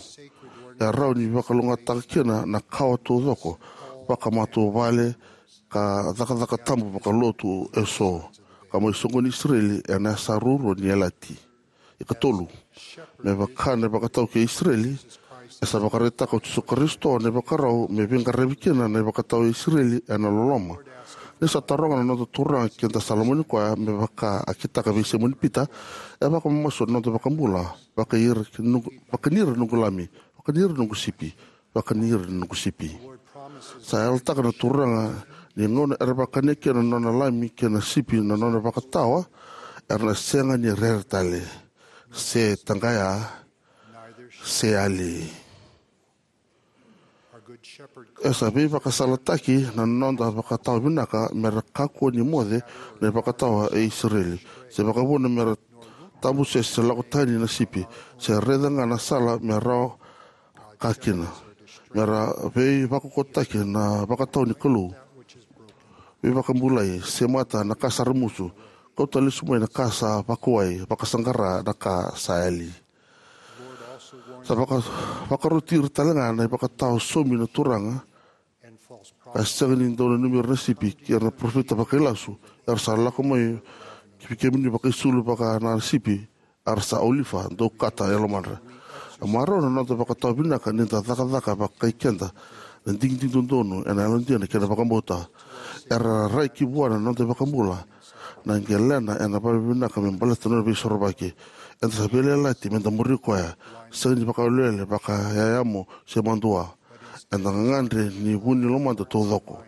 E rawa ni vakalougatataka kina na kawa taucoko vakamatavuvale ka cakacaka tabu vakalotu e so, ka mai soqoni Isireli ena yasa ruarua ni yalayalati. Ikatolu, me vaka na ivakatawa kei Isireli, e sa vakaraitaka o Jisu Karisito na ivakarau me veiqaravi kina na ivakatawa i Isireli ena loloma. Ni sa taroga na noda Turaga ke da sa lomani koya me vaka a kitaka vei Saimoni Pita, e vakamamasu na noda iVakabula, vaka ira noqu, vaka ni ira noqu lami, vaka ni ira noqu sipi, vaka ni ira noqu sipi. Sa yalataka na Turaga ni gauna era vakania kina na nona lami kei na sipi na nona vakatawa, era na sega ni rere tale, se taqaya, se yali. E sa veivakasalataki na noda vakatawa vinaka mera kakua ni moce na ivakatawa e Isireli, se vakavuna mera tabusese se lako tani na sipi, se raica ga na sala me rawa ka kina, mera veivakokotaki na vakatawa ni Kalou. Veivakabulai, semata na ka sa ramusu, kauta lesu mai na ka sa vakawai, vakasaqara na ka sa yali. Sa vaka, vakaroti ira tale ga na ivakatawa saumi na Turaga, ka sega ni dau nanumi ira na sipi, kei ira na parofita vakailasu era sa lako mai ki vei kemuni vakaisulu vaka na sipi era sa olifa, dau kata e lomadra. E marau na noda vakatawa vinaka ni da cakacaka vakai keda na digidigi dodonu ena yalodina kei na vakabauta. Era rai ki vua na noda iVakabula na qelena ena vale vinaka me baleta na nona veisorovaki. Eda sa veiyalayalati me da muri koya, sega ni vakawelewele, vakayayamo se madua. Eda gagadre ni vu ni lomada taucoko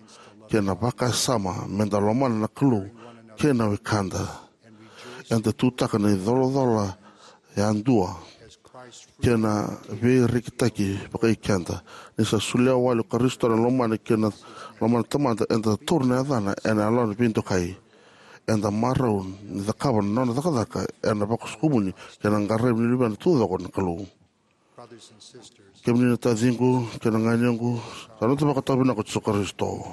kei na vakasama me da lomana na Kalou kei na wekada. Eda tutaka na icolacola yadua kei na veirekitaki vakai keda. Ni sa solia wale o Karisito na lomana kei na lomana Tamada, eda taura na yacana ena yalona veidokai. Eda marau ni cakava na nona cakacaka ena vakasokomuni kei na qaravi ni luvena taucoko na Kalou. Kemuni na taciqu kei na ganequ, sa noda vakatawa vinaka o Jisu Karisito.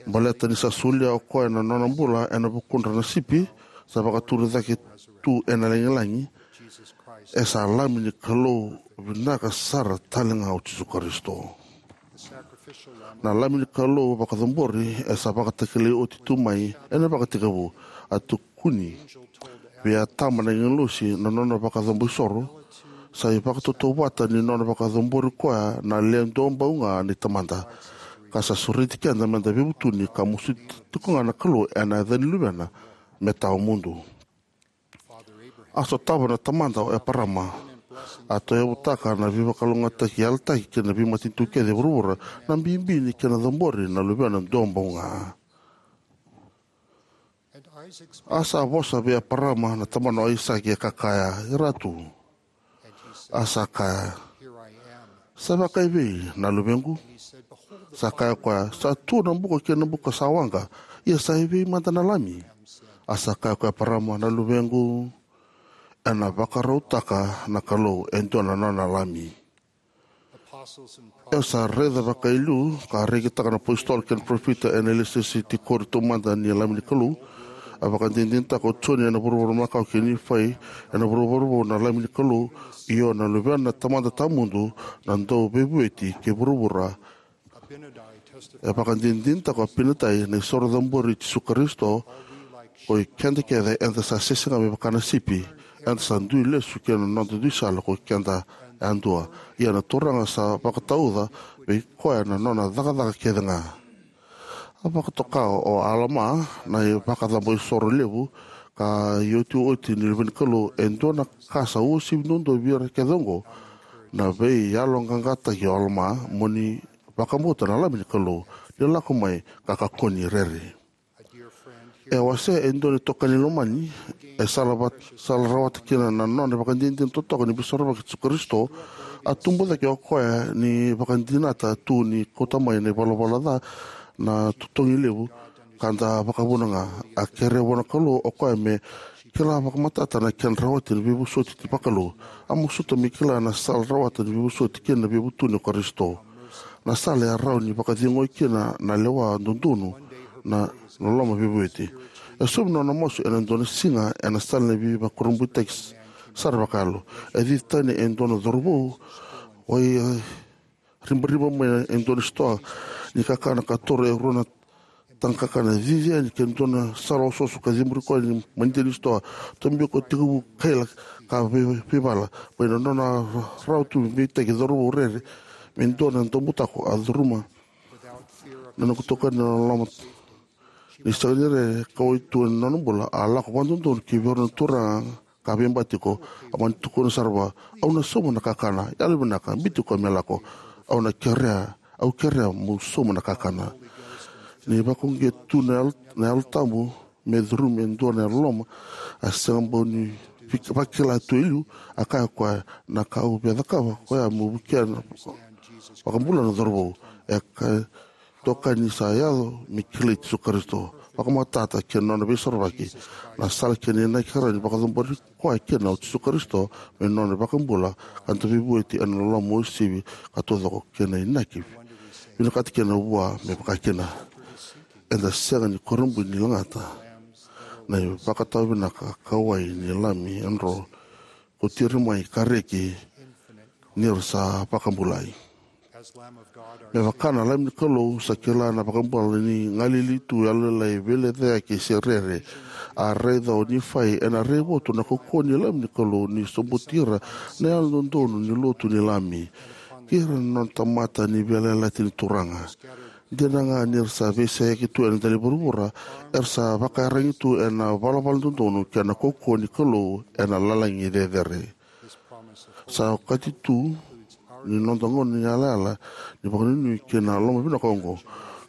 Baleta ni sa solia o koya na nona bula ena vukudra na sipi sa vakaturi cake tu ena lagilagi, e sa Lami ni Kalou vinaka sara tale ga o Jisu Karisito. Na Lami ni Kalou vakacabori e sa vakatakilai oti tu mai ena vakatekivu. A tukuni vei Atama na agilosi na nona vakacabo isoro, sa ivakatautauvata ni nona vakacabori koya na Le Duabau Ga ni Tamada, ka sa sureti keda meda veivutuni ka masuti tiko ga na Kalou ena yaca ni Luvena me tawamudu. A sotava na tamada o Eparama. A tauyavutaka na veivakalougatataki yalataki kei na veimatanitu kece e vuravura, na bibi ni kena cabori na Luvena Duabau Ga. A sa vosa vei Eparama na tamana o Aisake, ka kaya, "Iratu." A sa kaya, "Sa vakaevei, na luvequ?" Sa kaya o koya, "Sa tu na buka kei na buka sa waqa, ia sa evei mada na lami?" A sa kaya o Eparama, "Na luvequ, ena vakarautaka na Kalou e dua na nona lami." E sa raica vakaliu ka rekitaka na apositolo kei na parofita ena ilesilesi tikori taumada ni Lami ni Kalou. A vakadinadinataka o Joni ena vuravura makawa kei Nifai ena vuravura vou na Lami ni Kalou, io na Luvena na Tamada Tawamudu, na Dauveivueti kei vuravura. E vakadinadinataka o Apinatai na isoro cabori i Jisu Karisito, ko i keda kece eda sa sese ga me vaka na sipi, eda sa dui lesu ki na noda dui sala ko i keda yadua. Ia na Turaga sa vakatauca vei koya na nona cakacaka kece ga. A vakatoka o Alama na ivakacabo isoro levu ka iotioti ni Luve ni Kalou e dua na ka sa uasivi duadua vei ira kece oqo. Na veiyaloqaqataki o Alama, mo ni vakabauta na Lami ni Kalou, ni lako mai ka kakua ni rere. E wasea e dua na itokani lomani, e sala vat-, sala rawata kina na nona ivakadinadina totoka ni Veisorovaki i Jisu Karisito. A tubu cake o koya ni vakadinata tu ni kauta mai na ivalavala ca na totogi levu ka da vakavuna ga. A kerea vua na Kalou o koya me kila vakamatata na kena rawati na veivosoti vakalou. A masuta me kila na sala rawata ni veivosoti kei na veivutuni o Karisito, na sala e rawa ni vakacegui kina na lewa dodonu na, na loloma veivueti. E sobu na nona masu ena dua na siga ena sala ni veivakurabuitaki s-, sara vakayalo. E cici tani e dua na cauravou, wai, e, ribariba mai e dua na sitoa ni kakana ka toro e rua na taga kakana. Cici yani ki na dua na sala osooso ka ciburi koya ni madede ni sitoa. Tobi koya, tekivu kaila ka vei-, veivala. Mai na nona rawa tu me veitaki, cauravou rere me dua na daubutako, a curuma na noqu itokani ena loma. Ni sega ni rere, kauwai tu ena nona bula, a lako vakadodonu ki vei rau na turaga ka veibati tiko. A mani tukuna sara vua, "Au na sauma na kakana. Yalovinaka, biuti koya me lako. Au na kerea, au kerea meu sauma na kakana." Ni vakauqeti tu na Yalo, na Yalo Tabu me curumi e dua na loloma a sega bau ni vak-, vakila tu e liu, a kaya o koya, "Na ka au via cakava koya meu vukea na vakabula na cauravou." E ka toka ni sa yaco me kilai Jisu Karisito, vakamatata kei na nona Veisorovaki, na sala kei na inaki rawa ni vakacabori koya kina o Jisu Karisito me nona iVakabula ka Dauveivueti ena loloma uasivi ka taucoko kei na inaki vinakati kina vua me vaka kina. Eda sega ni kurabui ni lagata na ivakatawa vinaka kauwai ni Lami e dro kauti ira mai ka reki ni ra sa vakabulai. Me vaka na Lami ni Kalou, sa kila na iVakabula ni galili tu, yalolailai, veilecayaki se rere. A raica o Nifai ena raivotu na kaukauwa ni Lami ni Kalou ni sobuti ira na yalododonu ni lotu ni Lami kei ira na nona tamata ni veiyalayalati ni Turaga. Dina ga ni ra sa veiseyaki tu ena dela ni vuravura, era sa vakaiyaragi tu ena valavala dodonu kei na kaukauwa ni Kalou ena lalagi cecere. Sa okati tu ni noda gauna ni yalayala ni vakanuinui kei na loma vinaka oqo.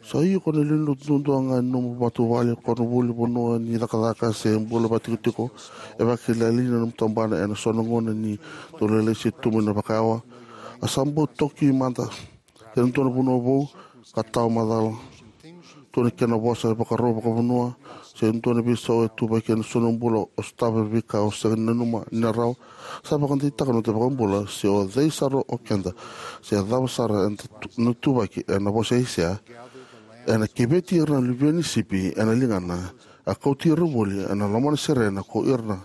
Sa iko na lewe ni lotu duadua ga ni nomu matavuvale, koronivuli, vanua ni cakacaka se bula vakatikotiko. E vakailailai na nomu tabana ena so na gauna ni dau lailai se tubu ena vakayawa. A sa bau toki mada kei na dua na vanua vou ka tawa macala tu na kena vosa, ivakarau vakavanua, se dua na veisau e tuvaki ena so na bula, o sotava na veika o sega ni nanuma ni na rawa. Sa vakadeitaka na noda iVakabula, se o cei sara o keda, se cava sara eda tu-, na tuvaki, ena vosa i Aisea, "Ena keveti ira na luveni sipi ena ligana, a kauti ira voli ena lomana serena ko ira na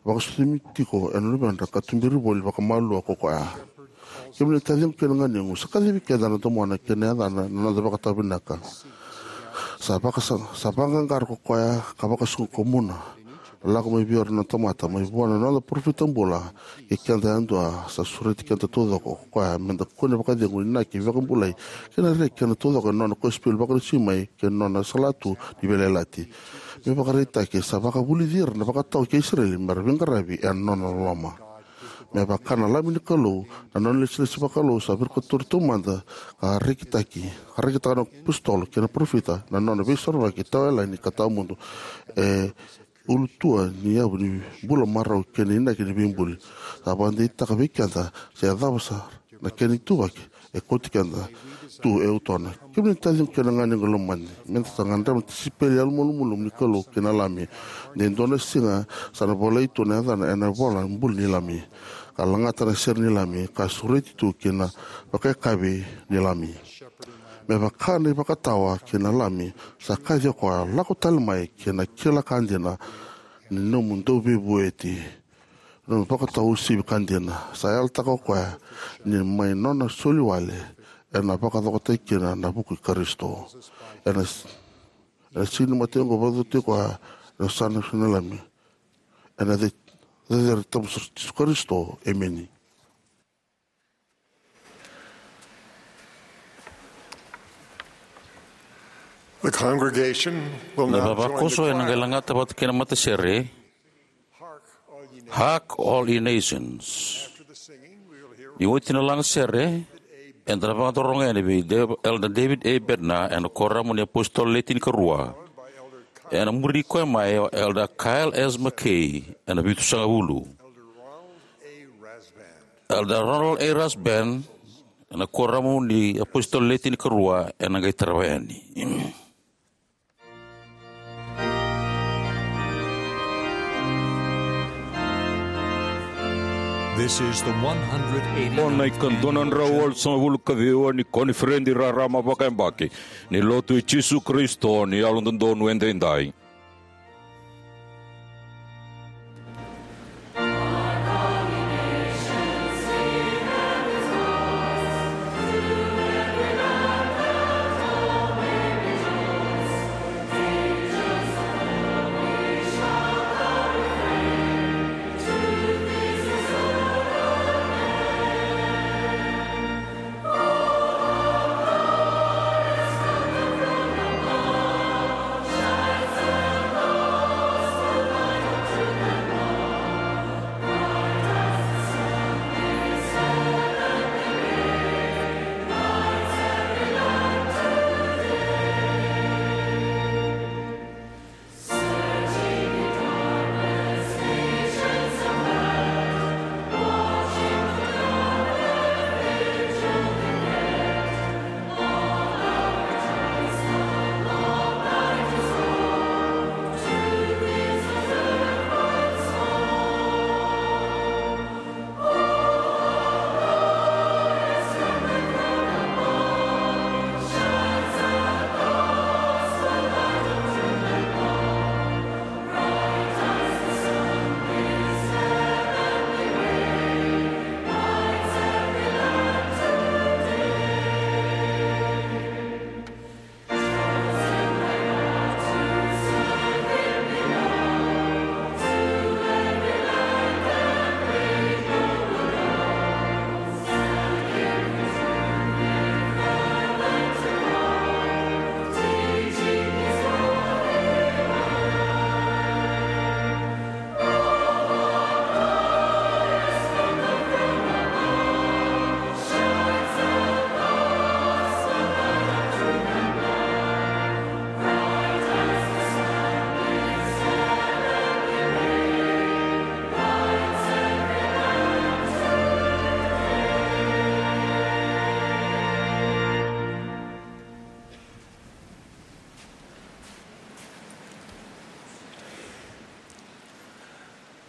vakasucumi tiko ena luvedra, ka tuberi voli vakamalua ko koya." Kemuni na taciqu kei na ganequ, sa kacivi keda na Domona kei na yacana na noda vakatawa vinaka. Sa vaka sa, sa vaqaqara ko koya ka vakasuka ko muna. Lako mai vei ira na tamata, mai vua na noda parofita bula, kei keda yadua, sa sureti keda taucoko ko koya, meda kune vakacegu, inaki, vakabulai, kei na reki kei na taucoko ena nona kosipeli vakalesui mai, kei na nona salatu ni veiyalayalati. Me vakaraitaki, sa vakavulici ira na vakatawa kei Isireli, mera veiqaravi ena nona loloma. Me vaka na Lami ni Kalou, na nona ilesilesi vakalou sa virikotori taumada, ka rekitaki, ka rekitaka na apositolo kei na parofita, na nona veisorovaki tawa yalani ka tawa mudu. E ulutua ni yavu ni bula marau kei na inaki ni veibuli. Sa vakadeitaka vei keda se cava sara na kena ituvaki e kauti keda tu e utona. Kemuni na taciqu kei na ganequ lomani, meda sa gadreva na tisaipeli yalomalumalumu ni Kalou kei na Lami. De dua na siga sa na volai tu na yacana ena ivola bula ni Lami, ka lagata na sere ni Lami, ka sureti tu ki na vakayakavi ni Lami. Me vaka na ivakatawa kei na Lami, sa kaci o koya, lako tale mai ki na kila ka dina ni nomu dauveivueti. Nomu vakatau uasivi ka dina, sa yalataka o koya ni mai nona soli wale ena vakacokotaki kina na vuku i Karisito. Ena, ena siga ni mataqu vakacokotaki koya, ena sana na Lami. Ena ce-, cecere tabu sara Jisu Karisito. Emeni. The congregation will Na now join the vavakoso ena qai choir. Lagata vata kei na matasere. Hark, all ye nations. Hark, all ye nations. After the singing, we will hear Ni oti na lagasere, eda na vakataroga yani vei Dav-, Elder David A. Bednar, ena kuoramu ni apositolo le tinikarua. Followed by Elder Kyle. Ena muri koya mai o Elder Kyle S. McKay, ena vitusagavulu. Elder Ronald A. Rasband. Elder Ronald A. Rasband, ena kuoramu ni apositolo le tinikarua, ena qai tarava yani. This is the one hundred eighty-ninth. O na ikadua na drau walusagavulu ka ciwa ni koniferedi rarama vakayabaki ni Lotu i Jisu Karisito ni Yalododonu Edaidai.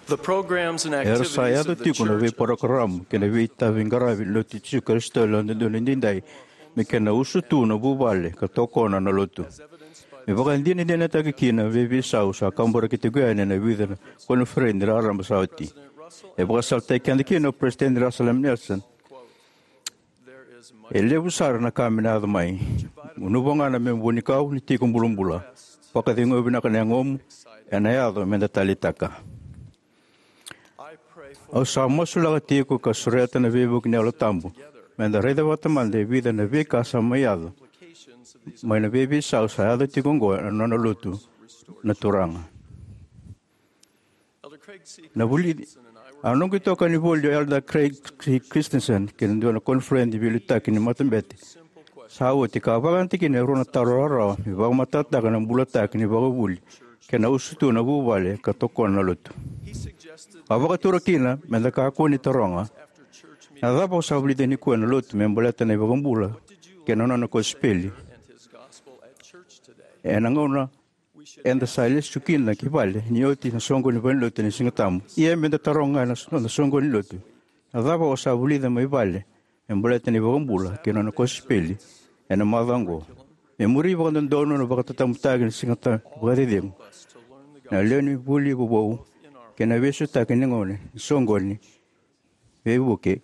The programs and activities of the church. Era sa yaco tiko na veiparokaramu kei na veitaveiqaravi ni Lotu i Jisu Karisito ni Yalododonu Edaidai me kena usutu na vuvale ka tokona na Lotu. Me vakadinadinataki kina na veiveisau sa kaburaki tiko yani ena vica na koniferedi raraba sa oti. E vakasalataki keda kina o Peresitedi Russell M. Nelson. E levu sara na ka me na yaco mai. Gunuva ga na me'u vuanikau ni tiko bulabula. Vakaceguya vinaka na yagomu, ena yaco me da taleitaka. Au sa masulaka tiko ka sureta na veivuke ni Yalo Tabu, me da raica vata mada e vica na veika sa mai yaco mai na veiveisau sa yaco tiko oqo ena nona lotu na Turaga. Na vuli, a noqu itokani voli o Elder Craig C. Christensen ki na dua na koniferedi veiliutaki ni matabete sa oti, ka a vakayagataki kina e rua na taro rawarawa me vakamatatataka na bulataki ni vakavuli kei na usutu na vuvale ka tokona na lotu. A vakatura kina me da kakua ni taroga, na cava o sa vulica nikua ena lotu me baleta na iVakabula kei na nona kosipeli? Ena gauna eda sa lesu kina ki vale ni oti na soqoni ni valenilotu ena Sigatabu. Ia me da taroga ga ena so-, na soqoni ni lotu, na cava o sa vulica mai vale me baleta na iVakabula kei na nona kosipeli ena macawa oqo? Me muri vakadodonu na vakatatabutaki ni Sigatabu vakacecegu, na lewe ni vuli vovou kei na veisotaki ni gone ni soqoni veivuke,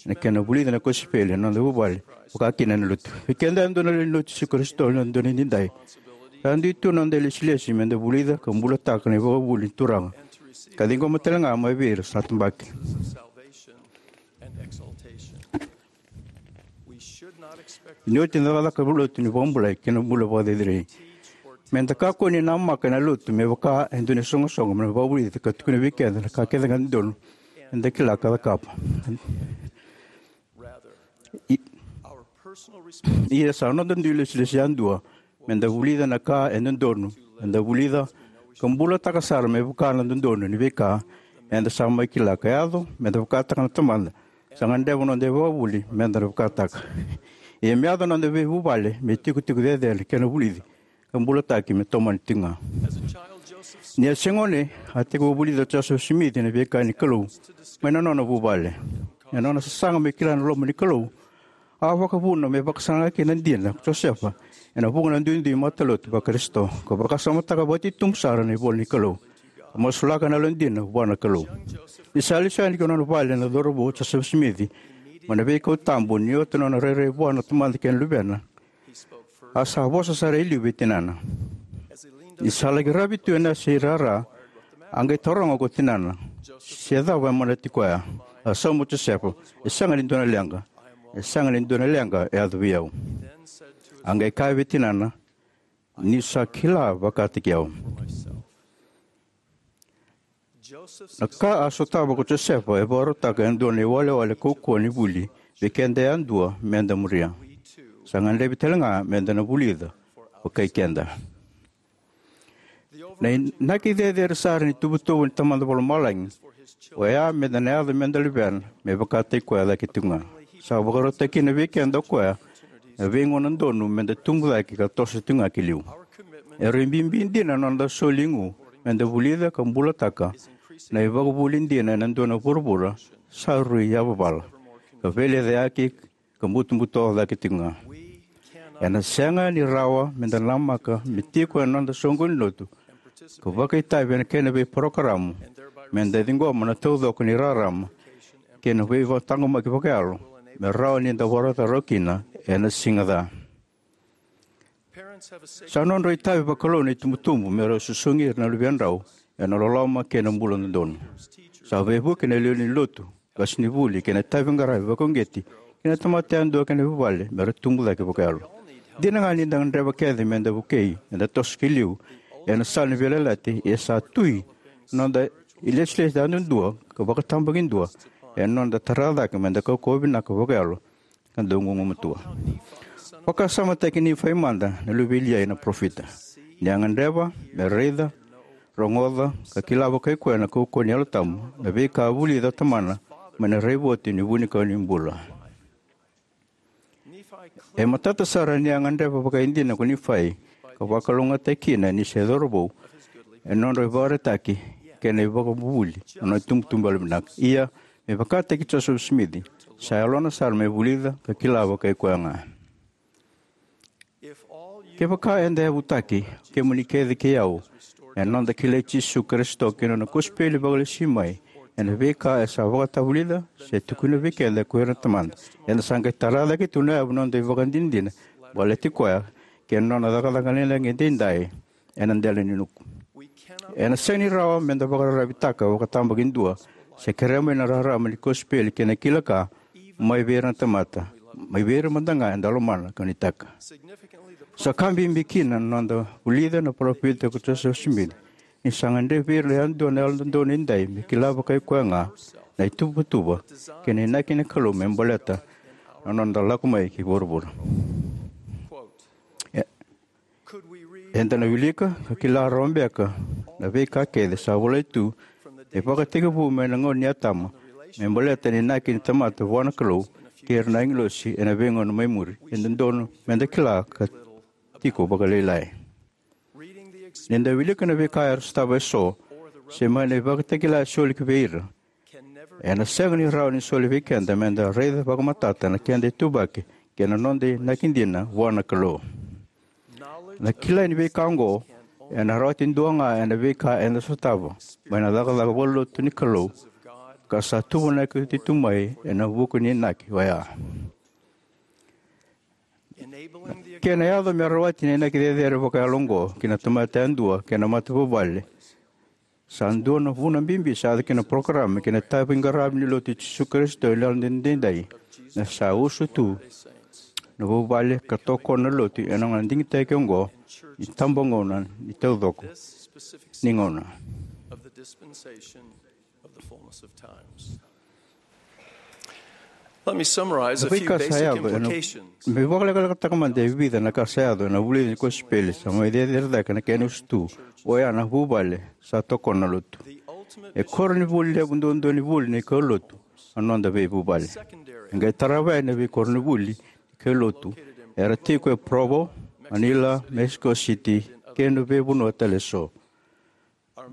na kena vulica na kosipeli ena noda vuvale, vaka kina ena lotu. Vei keda e dua na lewe ni lotu Jisu Karisito ena dua na nidai, sa dui tu na noda ilesilesi me da vulica ka bulataka na ivakavuvuli ni Turaga, ka ciqoma tale ga mai vei ira sa tabaki. Ni oti na cakacaka lotu ni vakabulai kei na bula vakacerecerei, me da kakua ni namaka ena lotu me vaka e dua na isoqosoqo me na vakavulici ka tukuna vei keda na ka kece ga e dodonu me da kila ka cakava. I-, ia sa noda dui lesilesi yadua me da vulica na ka e dodonu me da vulica, ka bulataka sara me vaka na dodonu ni veika eda sa mai kila ka yaco me da vakataka na Tamada sa gadreva na noda ivakavuvuli me da na vakataka. Ia me yaco na noda veivuvale me itikotiko cecere kei na vulici ka bulataki me tomani tiko ga. Ni a se gone, a tekivu vulica o Josefa Simici na veika ni Kalou mai na nona vuvale. Ena nona sasaga me kila na loma ni Kalou, a vakavuna me vakasaga kina na dina ko Josefa ena vuqa na duidui matalotu vaKarisito, ka vakasamataka vakatitobu sara na ivola ni Kalou, ka masulaka na yalodina vua na Kalou. Ni sa lesu yani ki nona vale na cauravou o Josefa Simici mai na veikau tabu ni oti na nona rairai vua na Tamada kei na Luvena, a sa vosa sara e liu vei tinana. Ni sa laki ravi tu ena yasa i rara, a qai taroga ko tinana se cava e manati koya. A sauma o Josefa, e sega ni dua na leqa, e sega ni dua na leqa e yaco vei au. A qai kaya vei tinana, ni sa kila vakataki au. Na ka a sotava ko Josefa e vakarautaka e dua na iwalewale kaukauwa ni vuli vei keda yadua me da muria. Sa gadrevi tale ga me da na vulica vakai keda. Na inaki cecere sara ni tuvatuva ni Tamada Vakalomalagi oya me da na yaco me da luvena me vakataki koya cake tiko ga. Sa vakarautaki kina vei keda o koya na veigauna donu me da tubu cake ka toso tiko ga ki liu. E rui bibi dina na noda soli igu me da vulica ka bulataka na ivakavuvuli dina ena dua na vuravura sa rui yavavala ka veilecayaki ka butobuto cake tiko ga. Ena sega ni rawa me da namaka me tiko ena noda soqoni lotu ka vakaitavi ena kena veiparokaramu me da ciqoma na taucoko ni rarama kei na veivakataqomaki vakayalo me rawa ni da vakarota rawa kina ena siga ca. Sa nodra itavi vakalou na itubutubu me rau susugi ira na luvedrau ena loloma kei na bula dodonu. Sa veivuke na lewe ni lotu, qasenivuli kei na itaviqaravi vakauqeti kei na tamata yadua kei na vuvale me ra tubu cake vakayalo. Dina ga ni da gadreva kece me da vukei, me da toso ki liu ena sala ni veiyalayalati, ia sa tui na noda ilesilesi yadudua ka vakatabakidua ena noda tara cake me da kaukauwa vinaka vakayalo ka dau gugumatua. Vakasamataki Nifai mada, na luve i Liai na parofita. Ni a gadreva me raica, rogoca ka kila vakai koya na kaukauwa ni Yalo Tabu, na veika a vulica o tamana mai na raivotu ni vunikau ni bula. E matata sara ni a gadreva vakaidina ko Nifai ka vakalougatataki kina ni se cauravou ena nodra ivakaraitaki kei na ivakavuvuli na nona itubutubu yalovinaka. Ia, me vakataki Josefa Simici, sa yalona sara me vulica ka kila vakai koya ga. Kevaka eda yavutaki, kemuni kece kei au, ena noda kilai Jisu Karisito kei na nona kosipeli vakalesui mai, ena veika e sa vakatavulica se tukuna vei keda ko ira na tamata. Eda sa qai tara cake tu na yavu ni noda ivakadinadina baleti koya kei na nona cakacaka lagilagi edaidai ena dela ni nuku. Ena sega ni rawa meda vakararavitaka vakatabakidua se kerea mai na rarama ni kosipeli kei na kila ka mai vei ira na tamata, mai vei ira mada ga eda lomana ka nuitaka. Sa ka bibi kina na noda vulica na parofita ko Josefa Simici ni sa gadrevi ira yadua na Yalododonu Edaidai me kila vakai koya ga na ituvatuva kei na inaki ni Kalou me baleta na noda lako mai ki vuravura. E- Eda na wilika ka kila rawa beka na veika kece sa volai tu e vakatekivu mai na gauna ni Atama me baleta na inaki ni tamata vua na Kalou kei ira na agilosi ena veigauna mai muri. E dodonu meda kila ka tiko vakalailai. Nida wilika na veika era sotava eso se mai na ivakatakila e soli ki vei ira, ena sega ni rawa ni soli vei keda meda raica vakamatata na keda ituvaki kei na noda inaki dina vua na Kalou. Na kilai ni veika oqo ena rawati dua ga ena veika eda sotava mai na cakacaka vakalotu ni Kalou ka sa tuvanaki oti tu mai ena vuku ni inaki oya. Kena yaco me rawati na inaki cecere vakayalo oqo ki na tamata yadua kei na matavuvale, sa dua na vuna bibi sa yaco kina na parokaramu kei na itaviqaravi ni Lotu i Jisu Karisito ni Yalododonu Edaidai, na sa usu tu na vuvale ka tokona na lotu ena gauna digitaki oqo ni tabagauna ni taucoko ni gauna. Let me summarize Na a few veika sa basic yaco ena implications. Me vakalekalekataka mada e vica na ka sa yaco ena vulici ni kosipeli sa mai cecere cake na kena usutu, oya na vuvale sa tokona na lotu. E koronivuli levu duadua ni vuli ni kaulotu na noda veivuvale. E qai tarava yani na veikoronivuli ni kaulotu era tiko e Provo, Manila, Mexico City, kei na veivanua tale eso.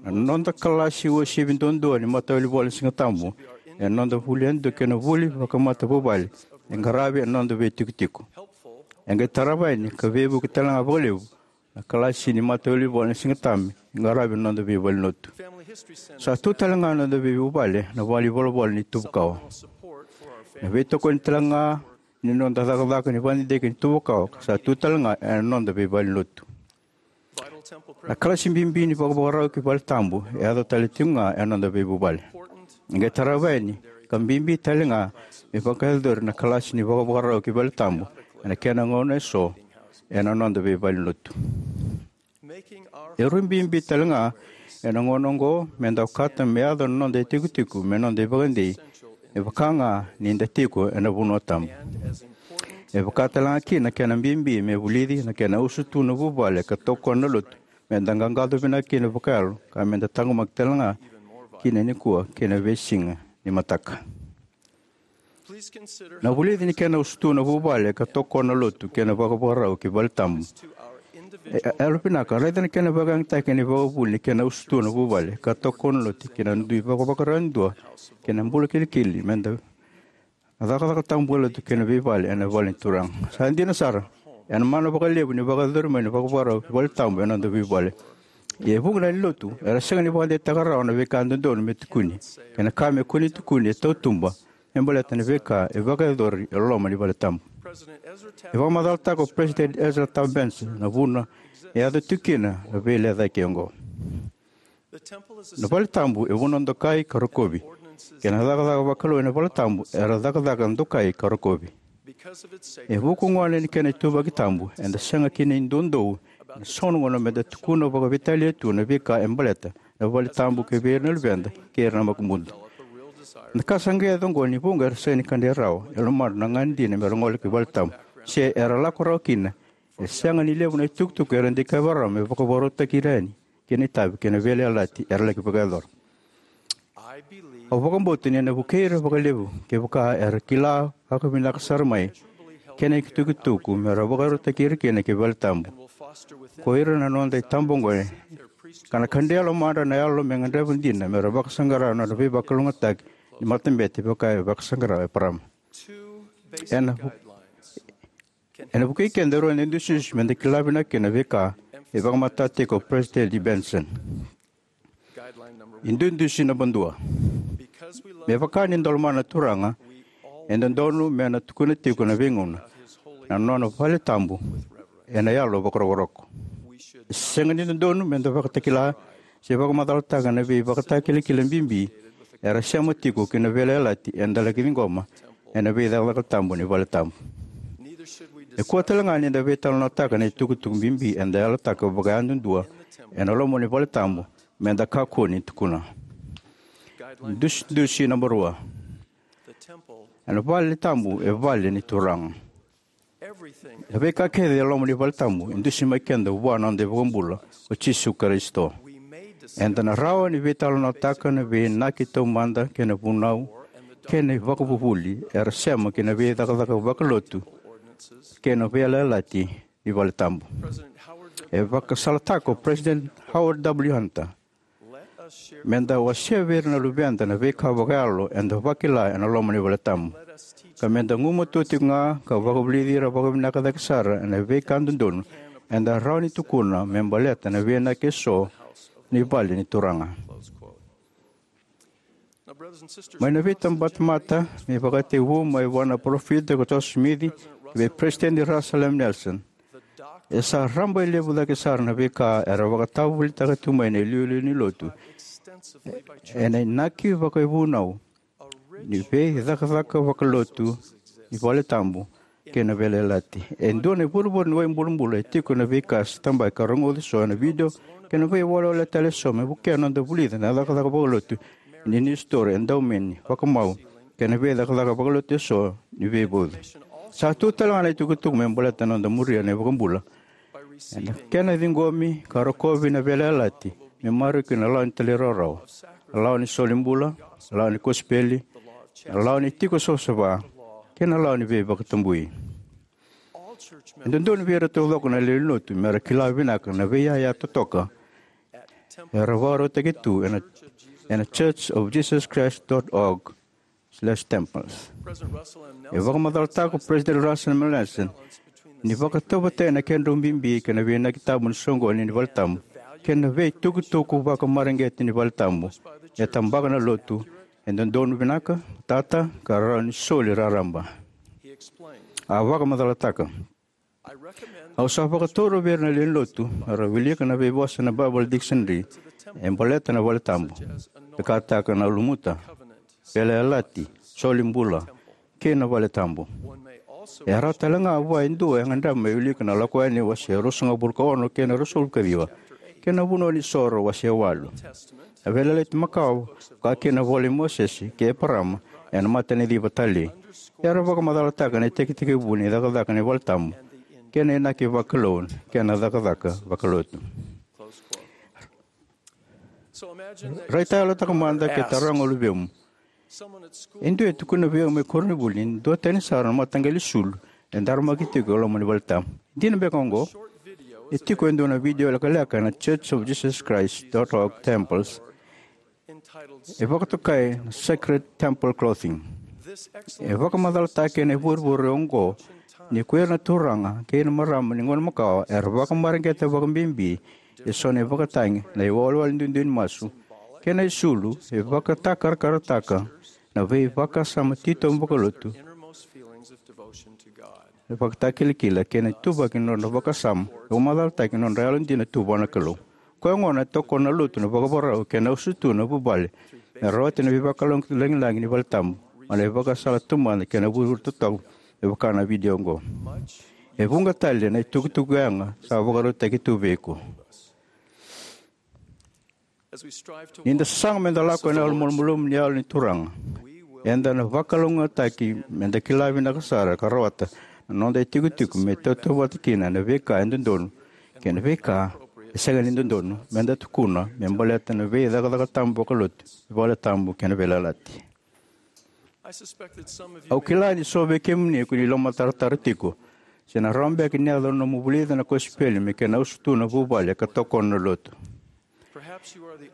Na noda kalasi uasivi duadua ni matawilivola ni Sigatabu, ena noda vuli yadua kei na vuli vakamatavuvale e qaravi ena noda veitikotiko. E qai tarava yani ka veivuke tale ga vakalevu na kalasi ni matawilivola ni Sigatabu e qaravi ena noda veivalenilotu. Sa tu tale ga na noda veivuvale na valenivolavola ni tuva kawa. Na veitokoni tale ga ni noda cakacaka ni vakadidike ni tuva kawa ka sa tu tale ga ena noda veivalenilotu. Na kalasi bibi ni vakavakarau ki valetabu e yaco tale tiko ga ena noda veivuvale. E qai tarava yani ka bibi tale ga me vakayacori na kalasi ni vakavakarau ki valetabu ena kena gauna eso ena noda veivalenilotu. E rui bibi tale ga ena gauna oqo meda okata me yaco na noda itikotiko me noda ivakadei, me vaka ga ni da tiko ena vanua tabu. E vaka tale ga kina na kena bibi me vulici na kena usutu na vuvale ka tokona na lotu, meda qaqaco vinaka kina vakayalo ka meda taqomaki tale ga kina nikua kei na veisiga ni mataka. Na vulici ni kena usutu na vuvale ka tokona na lotu kei na vakavakarau ki valetabu. E, e yalovinaka, raica na kena vakayagataki ena ivakavuvuli ni kena usutu na vuvale ka tokona na lotu kei na dui vakavakarau yadua kei na bula kilikili meda na cakacaka tabu vakalotu kei na veivale ena vale ni Turaga. Sa dina sara, ena mana vakalevu ni vakayacori mai na vakavakarau ki valetabu ena noda veivale. Ia e vuqa na lewe ni lotu era sega ni vakadeitaka rawa na veika dodonu me tukuni kei na ka me kua ni tukuni e tautuba me baleta na veika e vakayacori e loma ni valetabu. E vakamacalataka o Peresitedi Ezra Taft Benson na vuna e yaco tiko kina na veilecayaki oqo. Na valetabu e vanua dokai ka rokovi, kei na cakacaka vakalou ena valetabu era cakacaka dokai ka rokovi. E vuku gona ni kena ituvaki tabu, eda sega kina ni doudou ena so na gauna meda tukuna vakaveitalia tu na veika e baleta na valetabu ki vei ira na luveda kei ira na makubuda. Na ka sa qai yaco oqo ni vuqa era sega ni kidai rawa e lomadra na gagadina mera gole ki valetabu, se era lako rawa kina. E sega ni levu na itukutuku era dikeva rawa me vakavakarautaki ira yani kei na itavi kei na veiyalayalati era laki vakayacora. Au vakabauta ni na vukei ira vakalevu kevaka era kila vakavinaka sara mai kena itukutuku mera vakarautaki ira kina ki valetabu ko ira na noda itabagone, ka na kadre e lomadra na yalo me gadreva dina mera vakasaqara na nodra veivakalougatataki ni matabete vaka e vakasaqara o Eparama. Ena vu- Ena vukei keda e rua na idusidusi meda kila vinaka kina na veika e vakamatatataka tiko o Peresitedi Benson. Idusidusi naba dua: Me vaka ni da lomana na Turaga, e dodonu me na tukuna tiko na veigauna na nona vale tabu ena yalo vakarokoroko. E sega ni dodonu me da vakatakila se vakamacalataka na veivakatakilakila bibi era sema tiko ki na veiyalayalati eda laki ciqoma ena veicakacaka tabu ni vale tabu. E kua tale ga ni da veitalanoataka na itukutuku bibi eda yalataka vakayadudua ena loma ni vale tabu me da kakua ni tukuna. Dusidusi naba rua. Ena vale tabu e vale ni Turaga. Na veika kece e loma ni vale tabu e dusi mai keda vua na noda iVakabula, o Jisu Karisito. Eda na rawa ni veitalanoataka na veiinaki taumada kei na vunau kei na ivakavuvuli era sema ki na veicakacaka vakalotu kei na veiyalayalati ni vale tabu. E vakasalataka o President Howard W. Hunter, me da wasea vei ira na luveda na veika vakayalo eda vakila ena loma ni vale tabu, ka me da gumatua tiko ga ka vakavulici ira vakavinaka cake sara ena veika dodonu eda rawa ni tukuna me baleta na veiinaki eso ni vale ni Turaga. Mai na veitabatamata me vakatekivu mai vua na parofita ko Joseph Smith ki vei Peresitedi Russell M. Nelson, e sa rabailevu cake sara na veika era vakatavulica tu mai na iliuliu ni lotu ena inaki vakaivunau ni veicakacaka vakalotu ni vale tabu kei na veiyalayalati. E dua na ivurevure ni waibulubulu e tiko na veika se tabaki ka rogoci so ena vidio kei na veiwalewale tale eso me vukea na noda vulica na cakacaka vakalotu ni isitore, edaumeni, vakamau kei na veicakacaka vakalotu eso ni veivauci. Sa tu tale ga na itukutuku me baleta na noda muria na iVakabula ena kena ciqomi ka rokovi na veiyalayalati me maroroi kina na lawa ni talairawarawa, na lawa ni solibula, na lawa ni kosipeli, na lawa ni tiko savasava, kei na lawa ni veivakatabui. E dodonu vei ira taucoko na lewe ni lotu me ra kila vinaka na veiyaya totoka era vakarautaki tu ena, ena church of Jesus Christ dot org slash temples. E vakamacalataka o President Russell M. Nelson ni vakatauvatani na kedrau bibi kei na veiinaki tabu ni soqoni ni vale tabu kei na veitukutuku vakamareqeti ni vale tabu e tabaka na lotu e dodonu vinaka, tata, ka rawa ni soli raraba. A vakamacalataka: Au sa vakataura vei ira na lewe ni lotu me ra wilika na veivosa ena Bible Dictionary e baleta na vale tabu, e kataka na lumuta, veiyalayalati, solibula, kei na vale tabu. E rawa tale ga vua e dua e gadreva me wilika na Lako Yani wase ruasagavulu ka ono kei na ruasagavulu ka ciwa, kei na Vunau ni Soro wase walu. Na Veiyalayalati Makawa, ka kei na iVola i Mosese kei Eparama ena Mataniciva Talei, era vakamacalataka na itekitekivu ni cakacaka ni vale tabu kei na inaki vakalou kei na cakacaka vakalotu. Raitayalotaka mada ke taroga o luvemu. E dua e tukuna vei au mai koronivuli ni duatani sara na mataqali sulu e daramaki tiko e loma ni vale tabu. Dina beka oqo? E tiko e dua na vidio lekaleka ena church of Jesus Christ dot org temples e vakatokai na Sacred Temple Clothing. E vakamacalataki ena ivurevure oqo ni ko ira na turaga kei na marama ni gauna makawa era vakamareqeta vakabibi e so na ivakatagi, na iwalewale duidui ni masu, kei na isulu e vakatakarakarataka na veivakasama titobu vakalotu. E vakatakilakila kei na ituvaki ni nodra vakasama e vakamacalataki na nodra yalodina tu vua na Kalou. Koya gona e tokona na lotu na vakavakarau kei na usutu na vuvale me rawati na veivakalougatataki lagilagi ni vale tabu mai na ivakasala taumada kei na vurevure totoka me vaka na vidio oqo. E vuqa tale na itukutuku yaga sa vakarautaki tu vei iko. Ni da sasaga me da lako ena yalo malumalumu ni Yalo ni Turaga, eda na vakalougatataki me da kila vinaka sara ka rawata na noda itikotiko me tautauvata kina na veika e dodonu kei na veika e sega ni dodonu me da tukuna me baleta na veicakacaka tabu vakalotu, vale tabu kei na veiyalayalati. Au kila ni so vei kemuni ko ni lomatarotaro tiko se na rawa beka ni yaco na nomu vulica na kosipeli me kena usutu na vuvale ka tokona na lotu.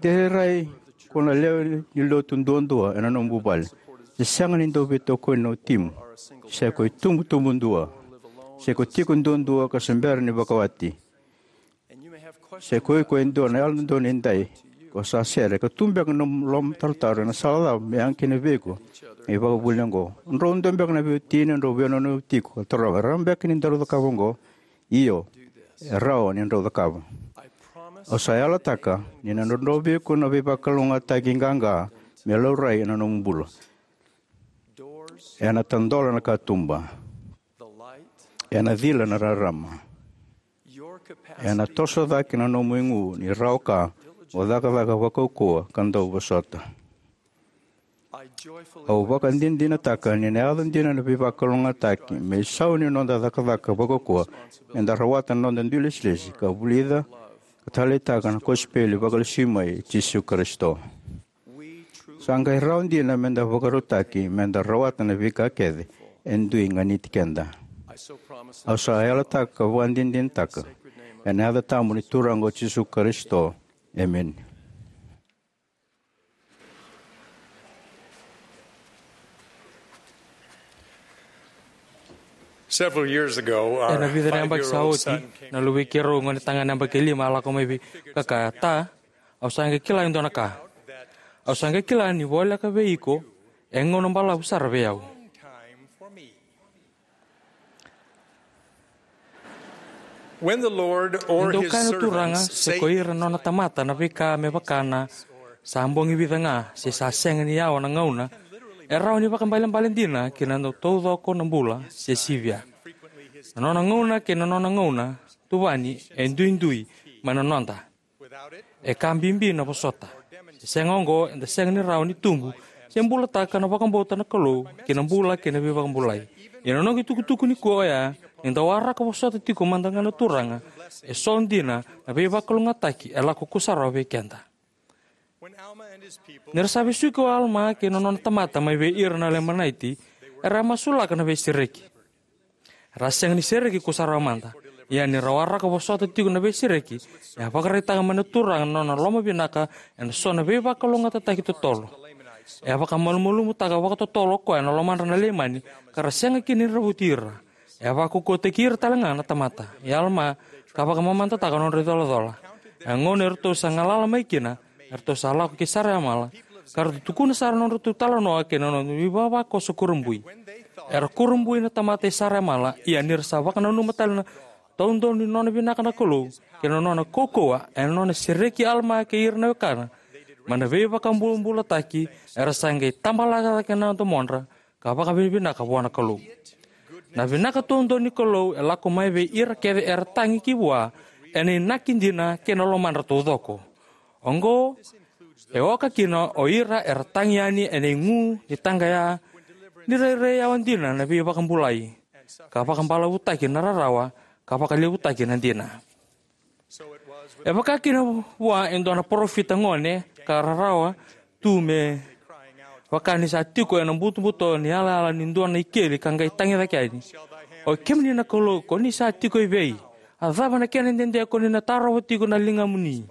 De rairai ko na lewe ni lotu duadua ena nomu vuvale, se sega ni dau veitokoni na watimu, se ko itubutubu dua, se ko tiko duadua ka se bera ni vakawati, se ko iko e dua na Yalododonu Edaidai Ko sa sere, ka tu beka na nomu lomatarotaro ena sala cava me yaga kina vei iko na ivakavuvuli oqo? O drau dua beka na veiwatini, o drau veiyanuyanu tiko, ka taroga, rawa beka ni daru cakava oqo? Io, e rawa ni drau cakava. Au sa yalataka ni na drodro vei iko na veivakalougatataki qaqa me laurai ena nomu bula. Ena tadola na katuba. Ena cila na rarama. Ena toso cake na nomu igu ni rawa ka mo cakacaka vakaukauwa ka dau vosota. Au vakadinadinataka ni na yaco dina na veivakalougatataki me isau ni noda cakacaka vakaukauwa me da rawata na noda dui lesilesi ka vulica ka taleitaka na kosipeli vakalesui mai i Jisu Karisito. Sa qai rawa dina me da vakarautaki me da rawata na veika kece e dui ganiti keda. Au sa yalataka ka vakadinadinataka ena yaca tabu ni Turaga o Jisu Karisito. Emeni. Several years ago, our Ena vica na yabaki sa five-year-old oti, son came na luvei keirau gone tagane yabaki lima a lako mai vei ka kaya, "Ta, au sa qai kila e dua na ka. Au sa qai kila ni voleka vei iko e gauna balavu sara vei au." When the Lord or Ni dau his kaya na Turaga servants se say ko ira na nona tamata na veika me vaka na sa bogi vica ga se sa sega ni yawa na gauna, e rawa ni vakaibalebale dina ki na dau taucoko na bula se sivia. Na nona gauna kei na nona gauna tuvani e duidui mai na noda. E ka bibi na vosota. Se sega oqo, eda sega ni rawa ni tubu se bulataka na vakabauta na Kalou ki na bula kei na veivakabulai. Ia na noqu itukutuku nikua oya, ni da waraka vosota tiko mada ga na Turaga, e so dina na veivakalougatataki e lako kusarawa vei keda. Ni ra sa vesuki o Alama kei na nona tamata mai vei ira na Lemanaiti, era a masulaka na veisereki. Era a sega ni sereki kusarawa mada. Ia ni ra waraka vosota tiko na veisereki, e a vakaraitaka mai na Turaga na nona lomavinaka ena so na veivakalougatataki totolo. E a vakamalumalumutaka vakatotolo o koya na lomadra na Leimani, ka ra sega kina ni ravuti ira. E a vakaukauwataki ira tale ga na tamata i Alama, ka vakamamadataka na nodra icolacola. E a gauna eratou sa galala mai kina, eratou sa lako ki Sarayamala, ka ratou tukuna sara na nodratou talanoa kei na nodra ivavakoso kurabui. Era kurabui na tamata i Sarayamala, ia ni ra sa vakananuma tale na taudonu ni nona vinaka na Kalou kei na nona kaukauwa ena nona sereki Alama kei ira na wekana mai na veivakabobulataki, era sa qai tabalaka cake na domodra ka vakavinavinaka vua na Kalou. Na vinaka taudonu ni Kalou e lako mai vei ira kece era tagi ki vua ena inaki dina kei na lomadra taucoko. Oqo e oka kina o ira era tagi yani ena igu ni taqaya, ni rairai yawa dina na veivakabulai, ka vakabalavutaki na rarawa, ka vakalevutaki na dina. E vaka kina vua e dua na parofita gone ka rarawa tu, me vaka ni sa tiko ena butobuto ni yalayala ni dua na ikeli, ka qai tagi cake yani, "Oi kemuni na Kalou, ko ni sa tiko evei? A cava na kena dede ko ni na tarova tiko na ligamuni?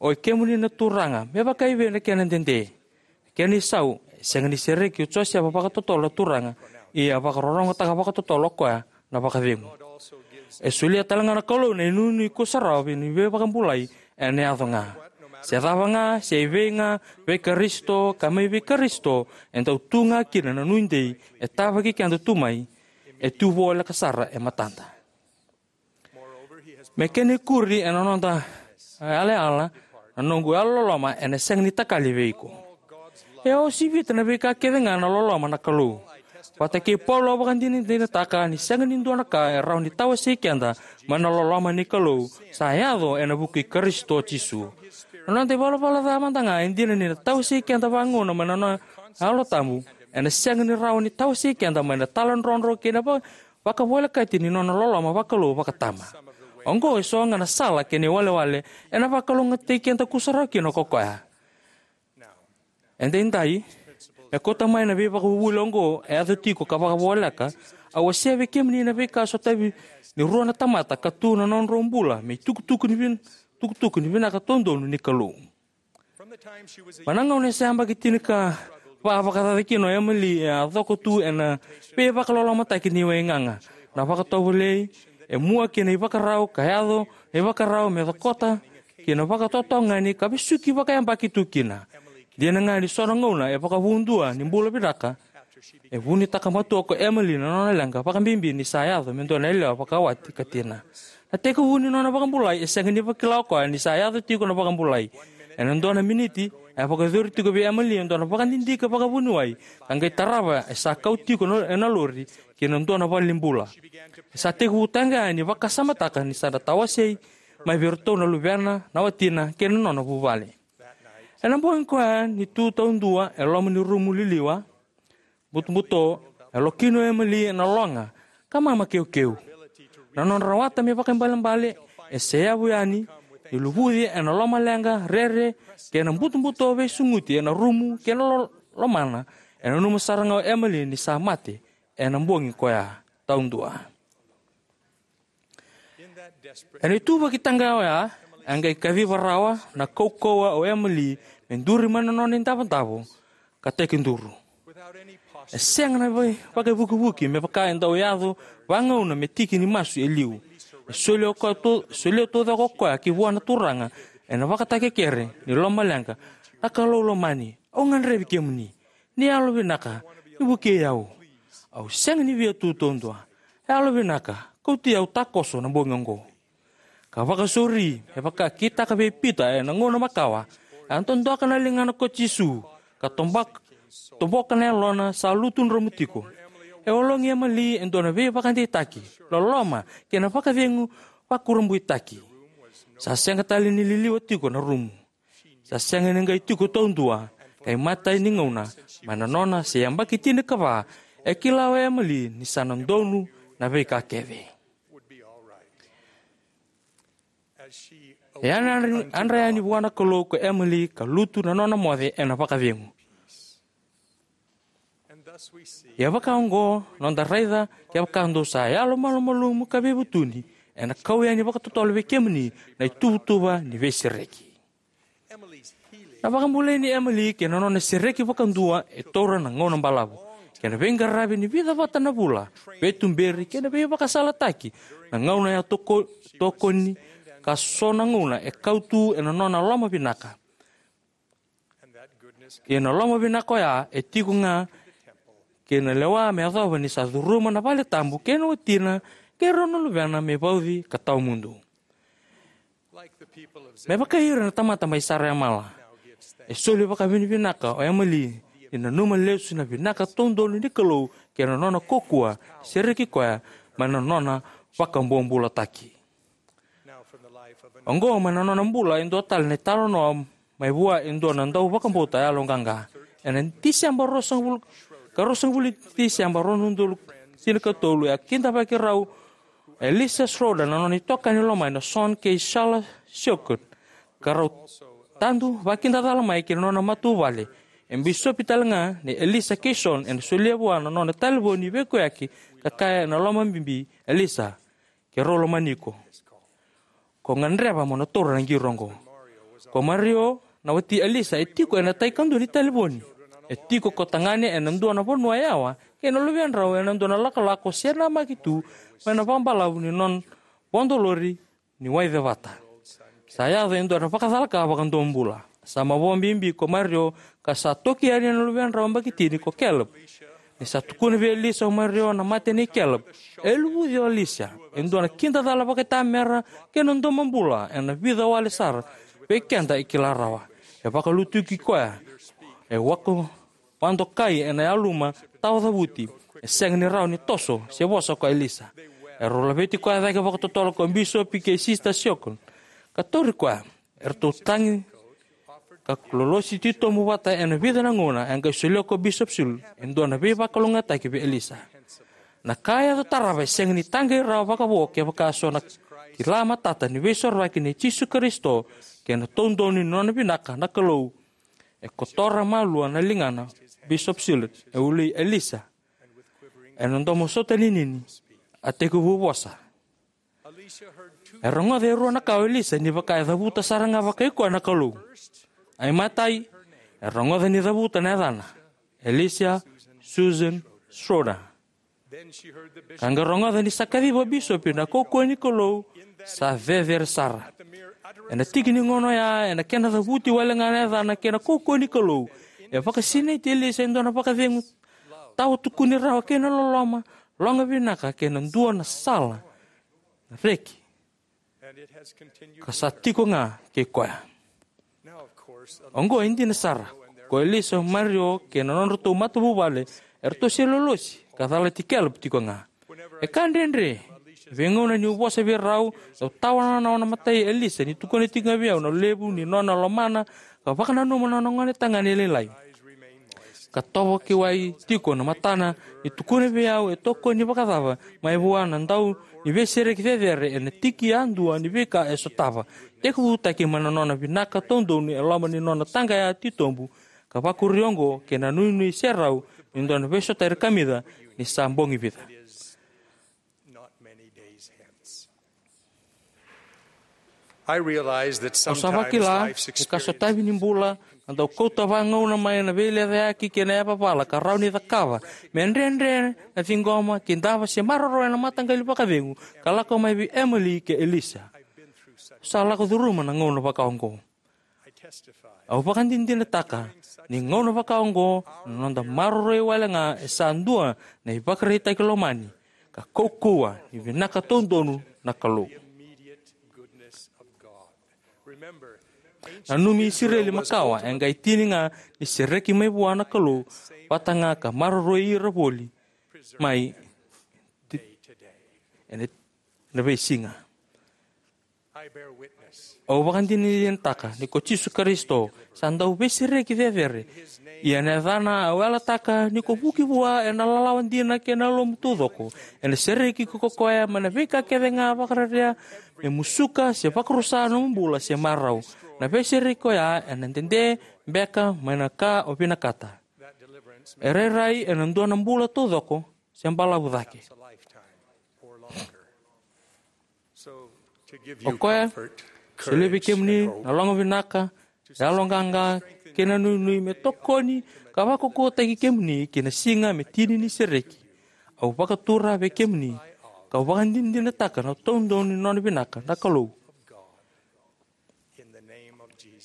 Oi kemuni na Turaga, me vakaevei na kena dede?" Kena isau, e sega ni sereki o Josefa vakatotolo na Turaga, ia a vakarorogotaka vakatotolo o koya na vakacegu. E solia tale ga na Kalou na inuinui kusarawa ni veivakabulai ena yaco ga. Se cava ga, se evei ga, vei Karisito ka mai vei Karisito, e dau tu ga kina na nuidei e tavaki keda tu mai, e tu voleka sara e matada. Me kena ikuri ena noda yalayala, na noqu yalololoma ena sega ni takali vei iko. E a osivita na veika kece ga na loloma na Kalou. Vata kei Paula, au vakadinadinataka ni sega ni dua na ka e rawa ni tawasei keda mai na loloma ni Kalou sa yaco ena vuku i Karisito Jisu. Na noda ivalavala ca mada ga e dina ni na tawasei keda vagauna mai na nona Yalo Tabu, ena sega ni rawa ni tawasei keda mai na taladrodro kei na va- vakavolekati ni nona loloma vakalou vakatama. Oqo e so ga na sala kei na iwalewale ena vakalougatataki keda kusarawa kina ko koya. Edaidai, me kauta mai na veivakavuvuli oqo e yaco tiko ka vakavoleka, au wasea vei kemuni na veika sotavi ni rua na tamata ka tu na nodrau bula me itukutuku ni vin- tukutuku ni vinaka taudonu ni Kalou. Mai na gauna e sa yabaki tinikava vakacaca kina o Emily, e a coko tu ena veivakalolomataki ni waigaga. Na vakatovolei e mua kina ivakarau ka yaco na ivakarau me cokota ki na vakatotogani ka vesuki vakayabaki tu kina. Dina ga ni so na gauna e vakavudua ni bula vinaka, e vunitaka matua ko Emily na nona leqa, vakabibi ni sa yaco me dua na yalewa vakawati ka tina. Na tekivu ni nona vakabulai e sega ni vakila o koya ni sa yaco tiko na vakabulai. Ena dua na miniti, e vakayacori tiko vei Emily e dua na vakadidike vakavuniwai, ka qai tarava e sa kau tiko na, ena lori, ki na dua na valenibula. E sa tekivu tale ga ni vakasamataka ni sa na tawasei mai vei iratou na luvena, na watina, kei na nona vuvale. Ena bogi koya ni tu taudua e loma ni rumu liliwa, butobuto, e lokina o Emily ena loga ka mama keukeu. Na nona rawata me vakaibalebale e seyavu yani ni luvuci ena lomaleqa rere kei na butobuto veisuguti ena rumu kei na lo-, lomana. E nanuma sara ga o Emily ni sa mate ena bogi koya taudua. Ena ituvaki taqaya oya, e qai kaciva rawa na kaukauwa o Emily me duri mai na nona idavodavo ka tekiduru. E sega na vai-, vakaivukivuki me vaka e dau yaco vagauna me tiki ni masu e liu. E solia o koya to-, solia taucoko o koya ki vua na Turaga ena vakatakekere ni lomaleqa: "Na Kalou lomani, au gadrevi kemuni. Ni yalovinaka, ni vukei au. Au sega ni via tu taudua. Yalovinaka, kauti au takoso na bogi oqo." Ka vakasauri, e vakakitaka vei Pita ena gauna makawa, e a dodoka na ligana ko Jisu, ka tobak-, toboka na yalona sa lutu dromu tiko. E ologi Emily e dua na veivakadeitaki, loloma, kei na vakacegu vakurabuitaki. Sa sega tale ni liliwa tiko na rumu. Sa sega ni qai tiko taudua, ka imatai ni gauna, mai na nona se yabaki tinikava, e kila o Emily ni sa na donu na veika kece. E a na adra-, adra yani vua na Kalou ko Emily ka lutu na nona moce ena vakacegu. Ia vaka oqo, noda raica, kevaka dou sa yalomalumalumu ka veivutuni, ena kau yani vakatotolo vei kemuni na ituvatuva ni veisereki. Na vakabulai nei Emily kei na nona sereki vakadua e taura na gauna balavu, kei na veiqaravi ni vica vata na vula, veituberi kei na veivakasalataki, na gauna e a toko-, tokoni, ka so na gauna e kau tu ena nona loma vinaka. Ia na loma vinaka oya e tiko ga kei na lewa me yacova ni sa curuma na vale tabu kei na watina kei rau na luvena me vauci ka tawamudu. Me vaka ira na tamata mai Saraemala, e soli vakavinavinaka o Emily ni nanuma lesu na vinaka taudonu ni Kalou kei na nona kaukaua, sereki koya mai na nona vakabobulataki. Oqo mai na nona bula e dua tale na italanoa mai vua e dua na dau vakabauta yaloqaqa. Ena Tiseba ruasagavulu, ka ruasagavulu ni Tiseba rua na udolu tinikatolu, e a kidavaki rau Elisa Schroeder, na nona itokani lomani o John kei Shala Shockley, ka rau tadu vakidacala mai kei na nona matavuvale. E bisopi tale ga nei Elisa kei John, ena solia vua na nona talevoni veikoyaki, ka kaya ena lomabibi: "Elisa, keirau lomani iko. Ko gadreva mo na taura na qiri oqo." Ko Mario, na wati Elisa, e tiko ena tai kadua ni talevoni. E tiko ko tagane ena dua na vanua yawa, kei na luvedrau ena dua na lakolako se namaki tu mai na vakabalavu ni nona vodo lori ni wai cevata. Sa yaco e dua na vakacalaka vakadomobula. Sa mavoa bibi ko Mario, ka sa toki yani na luvedrau yabaki tini ko Caleb. Ni sa tukuna vei Elisa o Mario na mate nei Caleb, e luvuci o Elisa e dua na kidacala vakaitamera kei na domobula ena vica wale sara vei keda e kila rawa. E vakalutuki koya, e wako vakadokai ena yaluma tawacavuti. E sega ni rawa ni toso se vosa ko Elisa. Erau laveti koya cake vakatotolo ko bisopi kei Sista Shockley, ka tauri koya. Eratou tagi ka lolosi titobu vata ena vica na gauna, e qai solia ko Bishop Schulz e dua na veivakalougatataki vei Elisa. Na ka e yaco tarava e sega ni taqei rawa vakavo kevaka so na kila matata ni Veisorovaki nei Jisu Karisito kei na taudonu ni nona vinaka na Kalou. E kotora malua na ligana Bishop Schulz, e ulei Elisa. Ena domo sota ninini, a tekivu vosa. E rogoca e rua na ka o Elisa ni vaka e cavuta sara ga vakaikoya na Kalou. A imatai, e rogoca ni cavuta na yacana: Elisa Susan Schroeder. Ka qai rogoca ni sa kaciva o bisopi na kaukauwa ni Kalou sa cecere sara. Ena tiki ni gauna oya, ena kena cavuti wale ga na yacana kei na kaukauwa ni Kalou, e vakasinaiti Elisa e dua na vakacegu tawa tukuni rawa kei na loloma, loga vinaka kei na dua na sala na reki. Ka sa tiko ga kei koya. Oqo e dina sara, ko Elisa, Mario kei na nodratou matavuvale eratou se lolosi ka calati Caleb tiko ga. E ka dredre, veigauna niu vosa vei rau, au tawana na nona matai Elisa ni tukuna tiko ga vei au na levu ni nona lomana ka vakananuma na nona gone tagane lailai. Ka tovo ki wai tiko na matana ni tukuna vei au e tokoni vakacava mai vua na dau ni veisereki cecere ena tiki yadua ni veika e sotava, tekivutaki mai na nona vinaka taudonu e loma ni nona taqaya titobu, ka vakuri oqo kei na nuinui serau ni dua na veisotairi kamica ni sa bogi vica. Not many days hence. I realize that Au sa sometimes vakila life's ni ka sotavi ni experience bula na dau kauta vagauna mai na veilecayaki kei na yavavala ka rawa ni cakava me dredre na ciqoma, kidava se maroroya na mataqali vakacegu ka lako mai vei Emily kei Elisa. Au sa lako curuma na gauna vaka oqo. Au vakadinadinataka ni gauna vaka oqo na noda maroroi wale ga e sa dua na ivakaraitaki lomani ka kaukauwa ni vinaka taudonu na Kalou. Nanumi Isireli makawa e qai tini ga ni sereki mai vua na Kalou vata ga ka maroroi ira voli mai ena veisiga. Au vakadinadinataka ni ko Jisu Karisito sa dau veisereki cecere. Ia ena yacana au yalataka ni ko vuki vua ena lalawa dina kei na lomamu taucoko. Ena sereki iko ko koya mai na veika kece ga vakararea me musuka se vakarusa nomu bula se marau. Na veisereki koya ena dede beka mai na ka o vinakata. E rairai ena dua na bula taucoko se balavu cake. O koya sa solia vei kemuni na logo vinaka, yaloqaqa kei na nuinui me tokoni ka vakaukauwataki kemuni ki na siga me tini ni sereki. Au vakatura vei kemuni kau vakadinadinataka na taudonu ni nona vinaka na Kalou.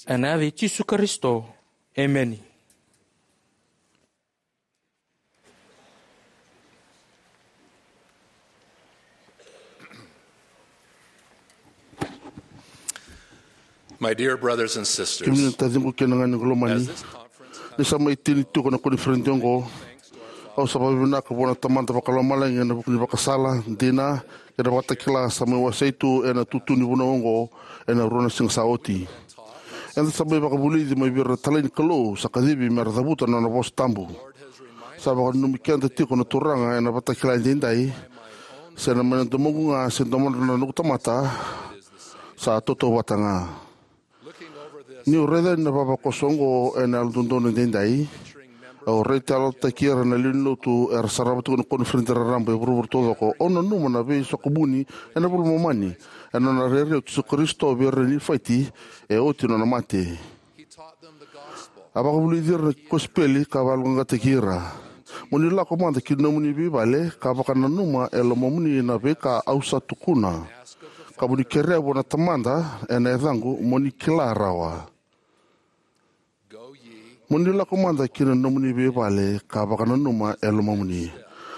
Ena yaca i Jisu Karisito, emeni. My dear brothers and sisters, kemuni na taciqu kei na ganequ lomani, ni sa mai tini tiko na koniferedi oqo, au sa vakavinavinaka vua na Tamada Vakalomalagi ena vuku ni vakasala, dina, kei na vakatakila sa mai wasei tu ena tutu ni vunau oqo ena rua na siga sa oti. Eda sa mai vakavulici mai vei ira na talai ni Kalou sa kacivi me ra cavuta na nona vosa tabu. Sa vakananumi keda tiko na Turaga ena vakatakila edaidai, se na mai na domoqu ga se domodra na noqu tamata, sa tautauvata ga. Niu raica na vavakoso oqo ena Yalododonu Edaidai, au raitayalotaki ira na lewe ni lotu era sarava tiko na koniferedi raraba e vuravura taucoko. Au nanuma na veisoqoni ena iVola i Momani ena nona rairai o Jisu Karisito vei ira na Nifaiti e oti nona mate. A vakavulici ira na kosipeli ka vakayaloqaqataki ira. Mo ni lako mada ki nomuni veivale ka vakananuma e lomamuni na veika au sa tukuna, ka mo ni kerea vua na Tamada ena yacaqu mo ni kila rawa. Mo ni lako mada ki na nomuni veivale ka vakananuma e lomamuni.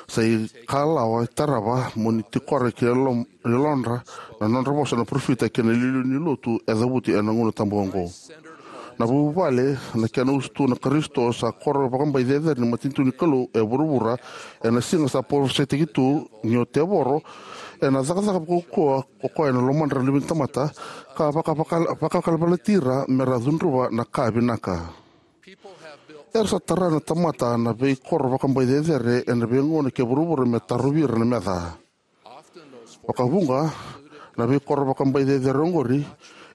Sa ikalawa e tarava mo ni tikora ki yalom-, yalodra na nodra vosa na parofita kei na iliuliu ni lotu e cavuti ena gauna tabu oqo. Na vuvale, na kena usutu na Karisito, sa koro vakabai cecere ni matanitu ni Kalou e vuravura ena siga sa parofisaitaki tu ni o tevoro ena cakacaka vakaukauwa ko koya ena lomadra na luve ni tamata, ka vakavaka-, vakavakalavalati ira me ra cudruva na ka vinaka. Era sa tara na tamata na veikoro vakabai cecere ena veigauna kei vuravura me tarovi ira na meca. Vakavuqa, na veikoro vakabai cecere oqori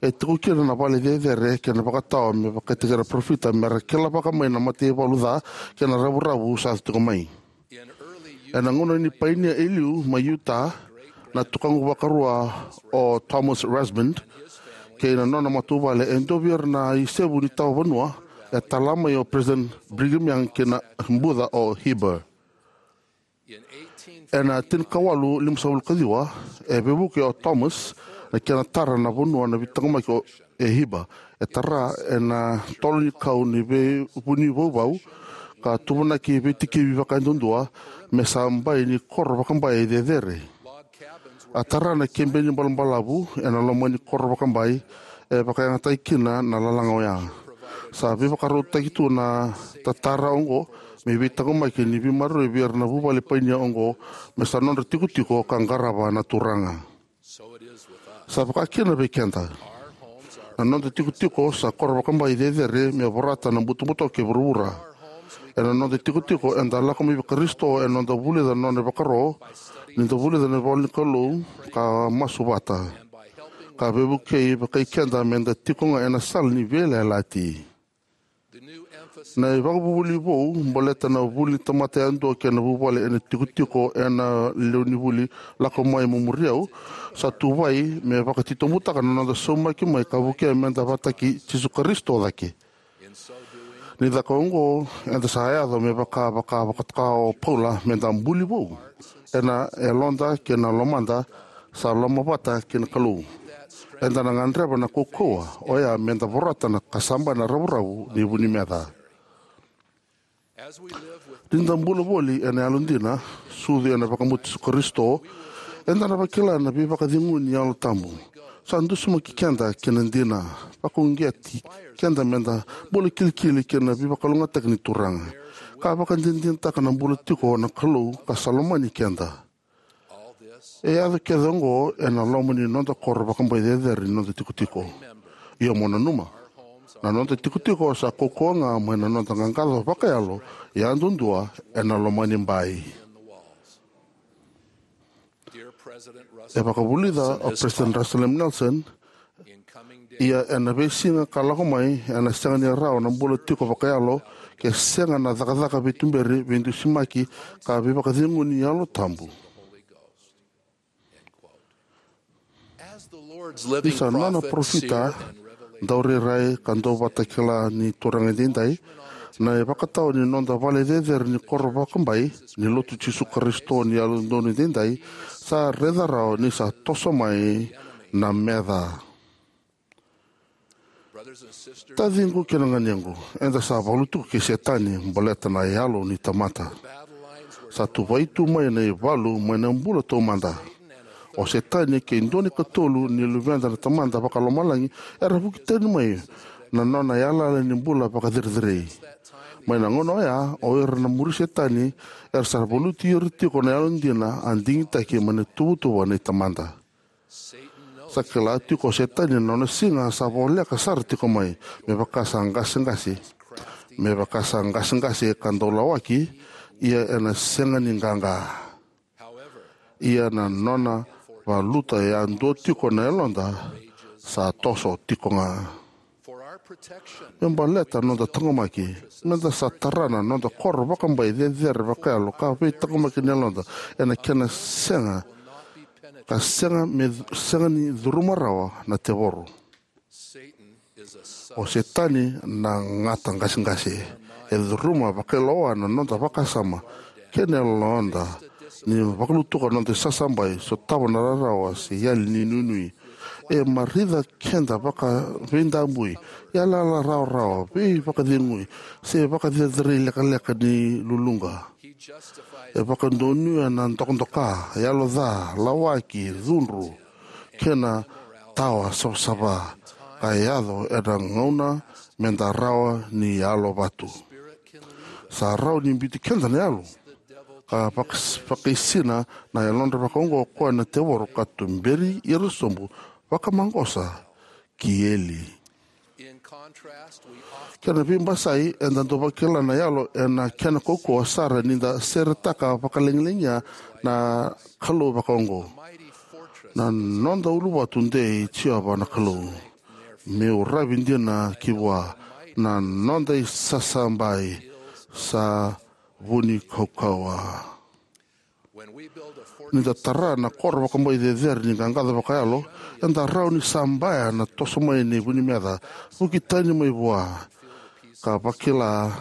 e tiko kina na vale cecere kei na vakatawa me vakaitaki ira na parofita me ra kila vaka mai na mataivalu ca kei na ravuravu sa tiko mai. Ena gauna ni painia e liu mai Utah, na tukaqu vakarua o Thomas Rasband kei na nona matavuvale e dua vei ira na isevu ni tawa vanua e tala mai o President Brigham Young kei na buca o Heber. Ena tinikawalu limasagavulu ka ciwa, e veivuke o Thomas na kena tara na vanua na veitaqomaki o e Hiba. E tara ena tolo ni kau ni veivuni vauvau ka tuvanaki veitikivi vakayadudua me sa bai ni koro vakabai cecere. A tara na kebe ni balabalavu ena loma ni koro vakabai e vakayagataki kina na lalaga oya. Sa veivakarautaki tu na tatara oqo me veitaqomaki ni veimaroroi vei ira na vuvale painia oqo me sa nodra tikotiko ka qarava na Turaga. Sa vaka kina vei keda. Na noda tikotiko sa koro vakabai cecere me vorata na butobuto kei vuravura. Ena noda tikotiko eda lako mai vei Karisito ena noda vulica na nona ivakaro, ni da vulica na ivola ni Kalou ka masu vata, ka veivukei vakai keda me da tiko ga ena sala ni veiyalayalati. Na ivakavuvuli vou baleta na vuli ni tamata yadua kei na vuvale ena tikotiko ena lewenivuli Lako Mai Mo Muri Au sa tuvai me vakatitobutaka na noda saumaki mai ka vukea me da vakataki Jisu Karisito cake. Ni caka oqo, eda sa yaco me vaka, vaka, vakatoka o Paula me da buli vou ena yaloda kei na lomada sa lomavata kei na Kalou. Eda na gadreva na kaukauwa oya me da vorata na kasaba na ravuravu ni vu ni meca. Ni da bula voli ena yalodina, sucu ena vakabauti Jisu Karisito, eda na vakila na veivakacegui ni Yalo Tabu. Sa dusimaki keda ki na dina, vakauqeti keda me da bula kilikili ki na veivakalougatataki ni Turaga, ka vakadinadinataka na bula tiko na Kalou ka sa lomani keda. E yaco kece oqo ena loma ni noda koro vakabai cecere ni noda tikotiko. Ia mo nanuma, na noda tikotiko sa kaukauwa ga mai na noda qaqaco vakayalo yadudua ena loma ni bai. E vakavulica o President Russell M. Nelson, ia ena veisiga ka lako mai ena sega ni rawa na bula tiko vakayalo ke sega na cakacaka veituberi, veidusimaki, ka veivakacegui ni Yalo Tabu. Ni sa nona parofita, daurairai ka dauvakatakila ni Turaga edaidai, na ivakatawa ni noda vale cecere ni koro vakabai ni Lotu Jisu Karisito ni Yalododonu Edaidai sa raica rawa ni sa toso mai na meca. Taciqu kei na ganequ, eda sa valu tiko kei Setani baleta na yalo ni tamata. Sa tuvai tu mai na ivalu mai na bula taumada. O Setani kei dua na ikatolu ni luveda na Tamada Vakalomalagi era vuki tani mai na nona yalayala ni bula vakacerecerei. Mai na gauna oya, o ira na muri Setani era sa valuti ira tiko na yalodina a digitaki mai na tuvatuva nei Tamada. Sa kila tiko o Setani na nona siga sa voleka sara tiko mai, me vaka sa qaseqase, me vaka sa qaseqase ka dau lawaki, ia ena sega ni qaqa. Ia na nona valuta yadua tiko na yaloda sa toso tiko ga. Me baleta noda taqomaki, meda sa tara na noda koro vakabai cecere vakayalo ka veitaqomaki na yaloda ena kena sega, ka sega me, sega ni curuma rawa na tevoro. O Setani na gata qaseqase. E curuma vakailoa na noda vakasama kei na yaloda, ni vakalutuka na noda isasabai, sotava na rarawa se yali ni nuinui. E marica keda vakaveidabui, yalayala rawarawa, veivakacegui, se vakacerecerei lekaleka ni luluqa. E vakadonuya na dokadoka, yalo ca, lawaki, cudru, kei na tawa savasava ka yaco ena gauna meda rawa ni yalo vatu. Sa rawa ni biuti keda na yalo ka vaka, vakaisina na yalodra vakaoqo o koya na tevoro ka tuberi ira sobu vakamaqosa ki eli. Kena veibasai, eda dau vakila na yalo ena kena kaukauwa sara ni da seretaka vakalagilagia na Kalou vakaoqo. Na noda uluvatu dei Jiova na Kalou, meu ravi dina ki vua, na noda isasabai sa vu ni kaukauwa. Ni da tara na koro vakabai cecere ni qaqaco vakayalo, eda rawa ni sabaya na toso mai ni vu ni meca, vuki tani mai vua, ka vakila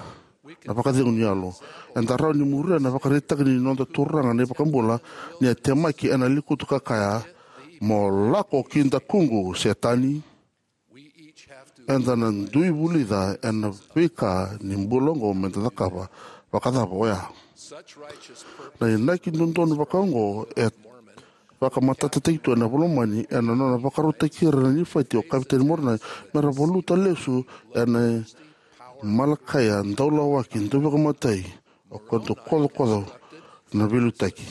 na vakacegu ni yalo. Eda rawa ni muria na ivakaraitaki ni noda Turaga na iVakabula ni a temaki ena lekutu ka kaya, "Mo lako ki dakuqu, Setani." Eda na dui vulica ena veika ni bula oqo meda cakava. Vakacava oya? Na inaki dodonu vakaoqo e vakamatatataki tu ena iVola i Momani ena nona vakarautaki ira na Nifaiti o Kavetani Moronai mera valuta lesu ena Malakaia daulawaki, dauveikamatai, o koya dau kocokoco na veiliutaki.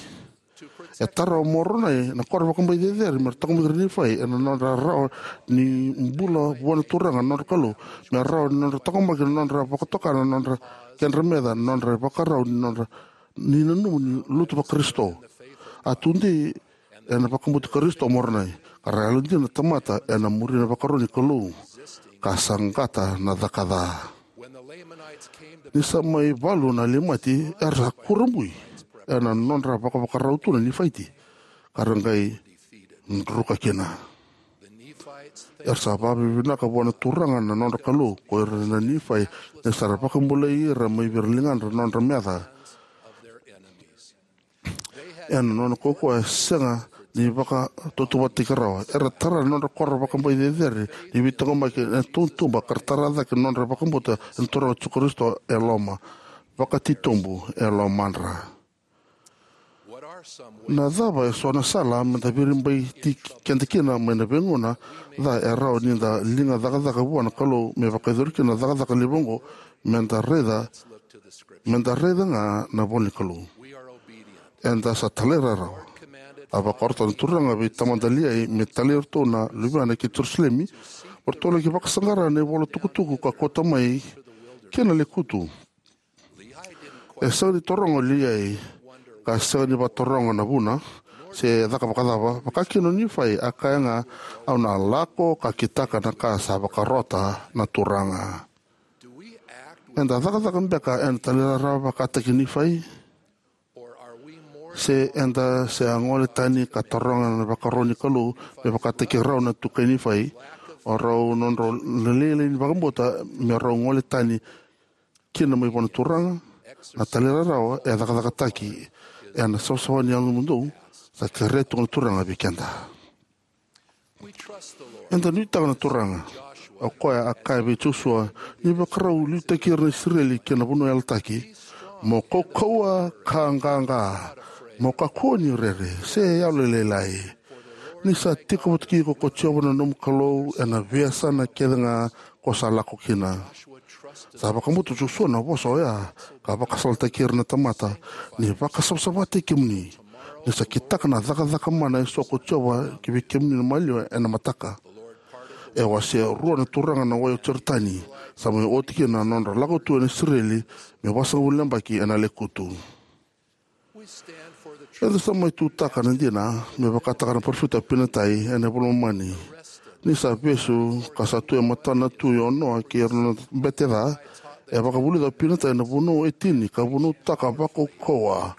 E tara o Moronai na koro vakabai cecere mera taqomaki ira na Nifai ena nodra rawa ni bula vua na Turaga na nodra Kalou, me rawa ni nodra taqomaki na nodra vakatoka na nodra kedra meca, na nodra ivakarau ni nodra ni nanuma ni lotu vaKarisito. A tudei ena vakabauti Karisito o Moronai, ka ra yalodina na tamata ena muri na ivakaro ni Kalou, ka saqata na caka ca. Ni sa mai valu na Leimati, era sa kurabui ena nodra vakavakarau tu na Nifaiti, ka ra qai druka kina. Era sa vakavinavinaka vua na Turaga na nodra Kalou ko ira na Nifai, ni sa ra vakabulai ira mai vei ira na ligadra na nodra meca. Ena nona kaukauwa e sega ni vakatautauvatataki rawa. Era tara na nodra koro vakabai cecere ni veitaqomaki ena tautuba, ka ra tara cake na nodra vakabauta ena Turaga o Jisu Karisito e loma, vakatitobu e lomadra. Na cava eso na sala meda viribaiti keda kina mai na veigauna ca e rawa nida liga cakacaka vua na Kalou me vakayacori kina na cakacaka levu oqo? Meda raica, meda raica ga na ivola ni Kalou. Eda sa talairawarawa. A vakarota na Turaga vei tamada Liai me talai iratou na luvena ki Jerusalemi, mo ratou laki vakasaqara na ivola tukutuku ka kauta mai ki na lekutu. E sega ni taroga o Liai, ka sega ni vakataroga na vuna, se caka vakacava, vaka kina o Nifai, a kaya ga, "Au na lako ka kitaka na ka sa vakarota na Turaga." Eda cakacaka beka ena talairawarawa vakataki Nifai? Se eda se a gole tani ka taroga na vakaro ni Kalou me vakataki rau na tukai Nifai, o rau nodrau lailai ni vakabauta me rau gole tani kina mai vua na Turaga? Na talairawarawa e cakacakataki ena savasava ni yalododonu, sa kerea tu ga na Turaga vei keda. Eda nuitaka na Turaga, o koya a kaya vei Josua ni vakarau liutaki ira na Isireli ki na vanua yalataki, "Mo kaukauwa ka qaqa, mo kakua ni rere, se yalolailai. Ni sa tiko vata kei iko ko Jiova na nomu Kalou ena veiyasana kece ga ko sa lako kina." Sa vakabauta o Josua na vosa oya, ka vakasalataki ira na tamata, "Ni vakasavasavataki kemuni, ni sa kitaka na cakacaka mana eso ko Jiova ki vei kemuni na maliwa ena mataka. E wasea rua na turaga na wai o Joritani, sa mai oti kina na nodra lako tu na Isireli me vasagavulu na yabaki ena lekutu." Eda sa mai tutaka na dina me vakataka na parofita o Pinatai ena iVola i Momani. Ni sa vesu ka sa tu e matana na tui o Noa kei ira na bete ca, e vakavulica o Pinatai na vunau e tini ka vunautaka vakaukauwa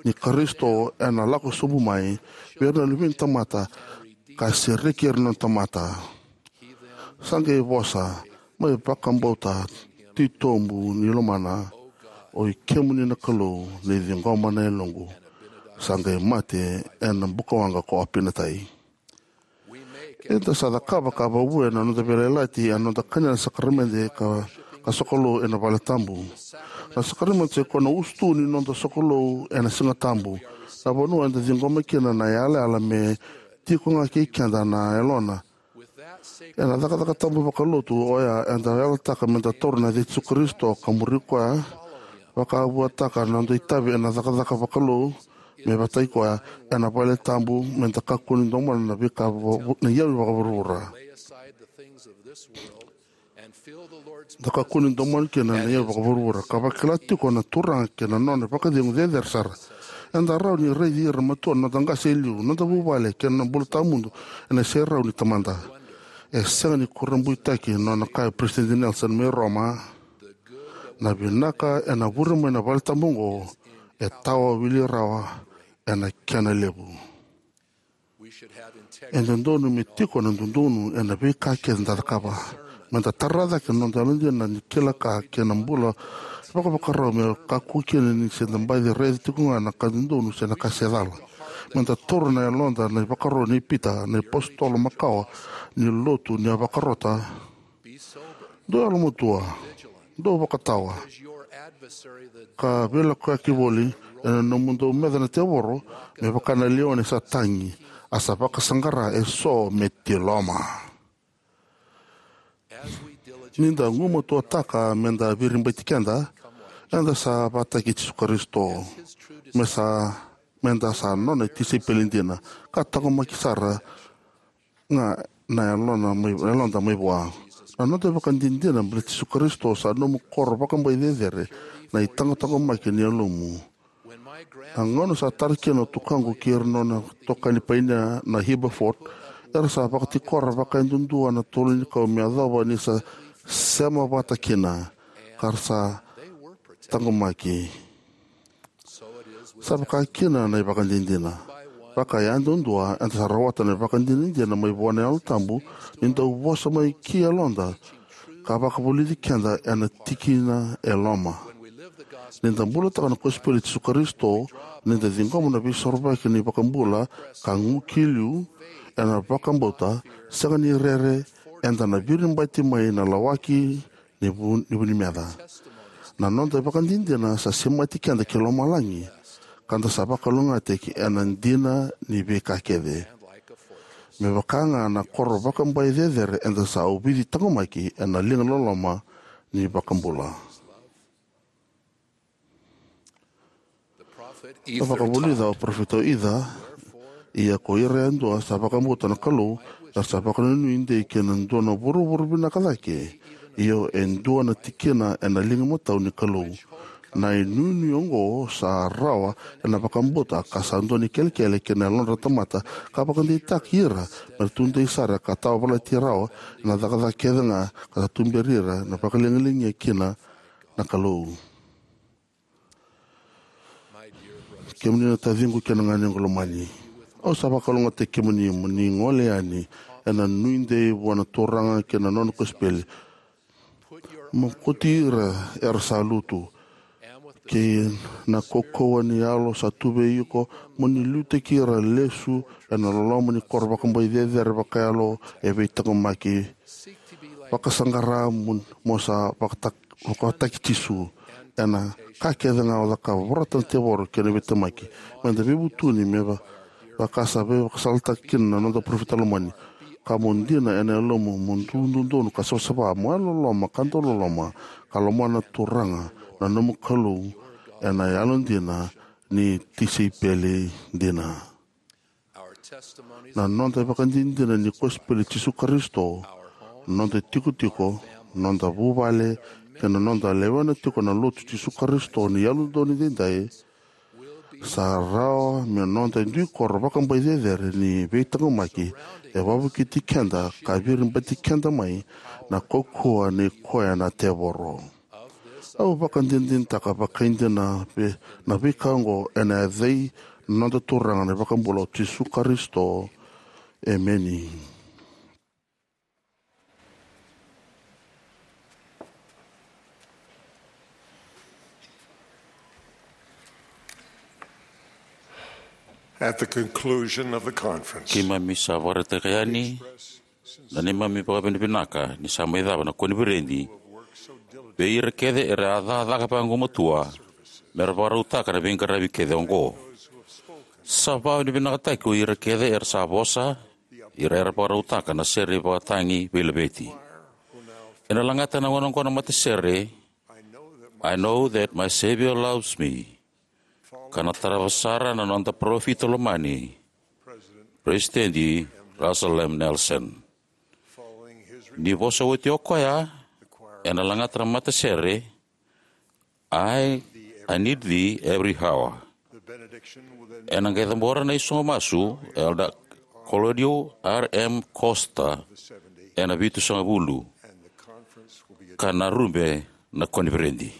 ni Karisito ena lako sobu mai vei ira na luve ni tamata ka sereki ira na tamata. Sa qai vosa mai vakabauta titobu ni lomana, "Oi kemuni na Kalou, ni ciqoma na yaloqu." Sa qai mate ena bukawaqa ko Apinatai. Eda sa cakava ka vakavuya na noda veiyalayalati ena noda kania na sakaramede ka, ka sokalou ena vale tabu. Na sakaramede sa ikoya na usutu ni noda sokalou ena Siga Tabu, na vanua eda ciqoma kina na yalayala me tiko ga kei keda na Yalona. Ena cakacaka tabu vakalotu oya, eda yalataka meda taura na yaca i Jisu Karisito ka muri koya, vakavuataka na noda itavi ena cakacaka vakalou me vataki koya, ena vale tabu, meda kakua ni domona na veika va-, na iyau vakavuravura. Da kakua ni domona kina na iyau vakavuravura, ka vakila tiko na Turaga kei na nona vakacegu cecere sara. Eda rawa ni raici ira na matua na noda qase e liu, noda vuvale kei na bula tawamudu ena iserau ni Tamada. E sega ni kurabuitaki na nona kaya o Peresitedi Nelson mai Roma, "Na vinaka ena vure mai na vale tabu oqo e tawa wili rawa ena kena levu." E dodonu me tiko na dodonu ena veika kece eda cakava. Me da tara cake na noda yalodina ni kila ka kei na bula vakavakarau, me kakua kina ni se da baci raica tiko ga na ka dodonu se na ka se cala. Me da taura na yaloda na ivakaro nei Pita na iApositolo makawa ni lotu ni a vakarota: Dou yalomatua, dou vakatawa, ka veilakoyaki voli, ena nomudou meca na tevoro, me vaka na leoni sa tagi, a sa vakasaqara eso me tiloma. Ni da gumatuataka me da viribaiti keda, eda sa vakataki Jisu Karisito, me sa, me da sa nona tisaipeli dina, ka taqomaki sara ga na yalona mai, yaloda mai vua. Na noda vakadinadina baleti Jisu Karisito sa nomu koro vakabai cecere, na itaqataqomaki ni yalomu. Na gauna sa tara kina o tukaqu kei ira na nona itokani painia na Heber Ford, era sa vakatikora vakayadudua na tolonikau me yacova ni sa sema vata kina, ka ra sa taqomaki. Sa vaka kina na ivakadinadina. Vakayadudua, eda sa rawata na ivakadinadina mai vua na Yalo Tabu ni dau vosa mai ki yaloda, ka vakavulici keda ena tikina e loma. Ni da bulataka na kosipeli i Jisu Karisito, ni da ciqoma na veisorovaki ni iVakabula ka gu ki liu ena vakabauta, sega ni rere, eda na viribaiti mai na lawaki ni vu, ni vu ni meca. Na noda ivakadinadina sa semati keda ki lomalagi, ka da sa vakalougatataki ena dina ni veika kece. Me vaka ga na koro vakabai cecere, eda sa ovici taqomaki ena liga loloma ni iVakabula. A vakavulica o parofita o Ica: Ia ko ira yadua sa vakabauta na Kalou, era sa vakanuinui dei ki na dua na vuravura vinaka cake, io e dua na tikina ena liga matau ni Kalou. Na inuinui oqo sa rawa ena vakabauta ka sa dua ni kelekele ki na yalodra na tamata, ka vakadeitaki ira me ra tudei sara ka tawavalati rawa ena cakacaka kece ga ka sa tuberi ira na vakalagilagi kina na Kalou. Kemuni na taciqu kei na ganequ lomani, au sa vakalougatataki kemuni mo ni gole yani ena nuidei vua na Turaga kei na nona kosipeli. Mo kauti ira era sa lutu, kei na kaukauwa ni yalo sa tu vei iko, mo ni liutaki ira lesu ena loloma ni koro vakabai cecere vakayalo e veitaqomaki. Vakasaqara mo, mo sa vakatak, vakataki Jisu ena ka kece ga o cakava. Vorata na tevoro kei na veitemaki. Me da veivutuni me va, vaka sa veivakasalataki kina na noda parofita lomani. Ka mo dina ena yalomu, mo dududonu ka savasava, mo yalololoma ka dauloloma, ka lomana na Turaga na nomu Kalou ena yalodina ni tisaipeli dina. Na noda ivakadinadina ni kosipeli i Jisu Karisito, noda itikotiko, noda vuvale, kei na noda lewena tiko na Lotu i Jisu Karisito ni Yalododonu Edaidai, sa rawa me noda dui koro vakabai cecere ni veitaqomaki e vakavukiti keda ka viribaiti keda mai na kaukauwa nei koya na tevoro. Au vakadinadinataka vakaidina na veika oqo ena yaca i noda Turaga na iVakabula o Jisu Karisito. Emeni. At the conclusion of the conference, keimami sa vakaraitaka yani na neimami vakavinavinaka ni sa mai cava na koniferedi vei ira kece era a cakacaka vagumatua me ra vakarautaka na veiqaravi kece oqo. Sa vakavinavinakataki ko ira kece era sa vosa, ira era vakarautaka na sere ivakatagi veilaveti. Ena lagata na gauna oqo na matasere, I know that my Savior loves me, ka na tarava sara na noda parofita lomani, President Russell M. Nelson. Ni vosa oti o koya, ena lagata na matasere, I, I need thee every hour. Ena qai cabora na isogo masu, Elder Claudio R M Costa, ena vitusagavulu, ka na rube na koniferedi.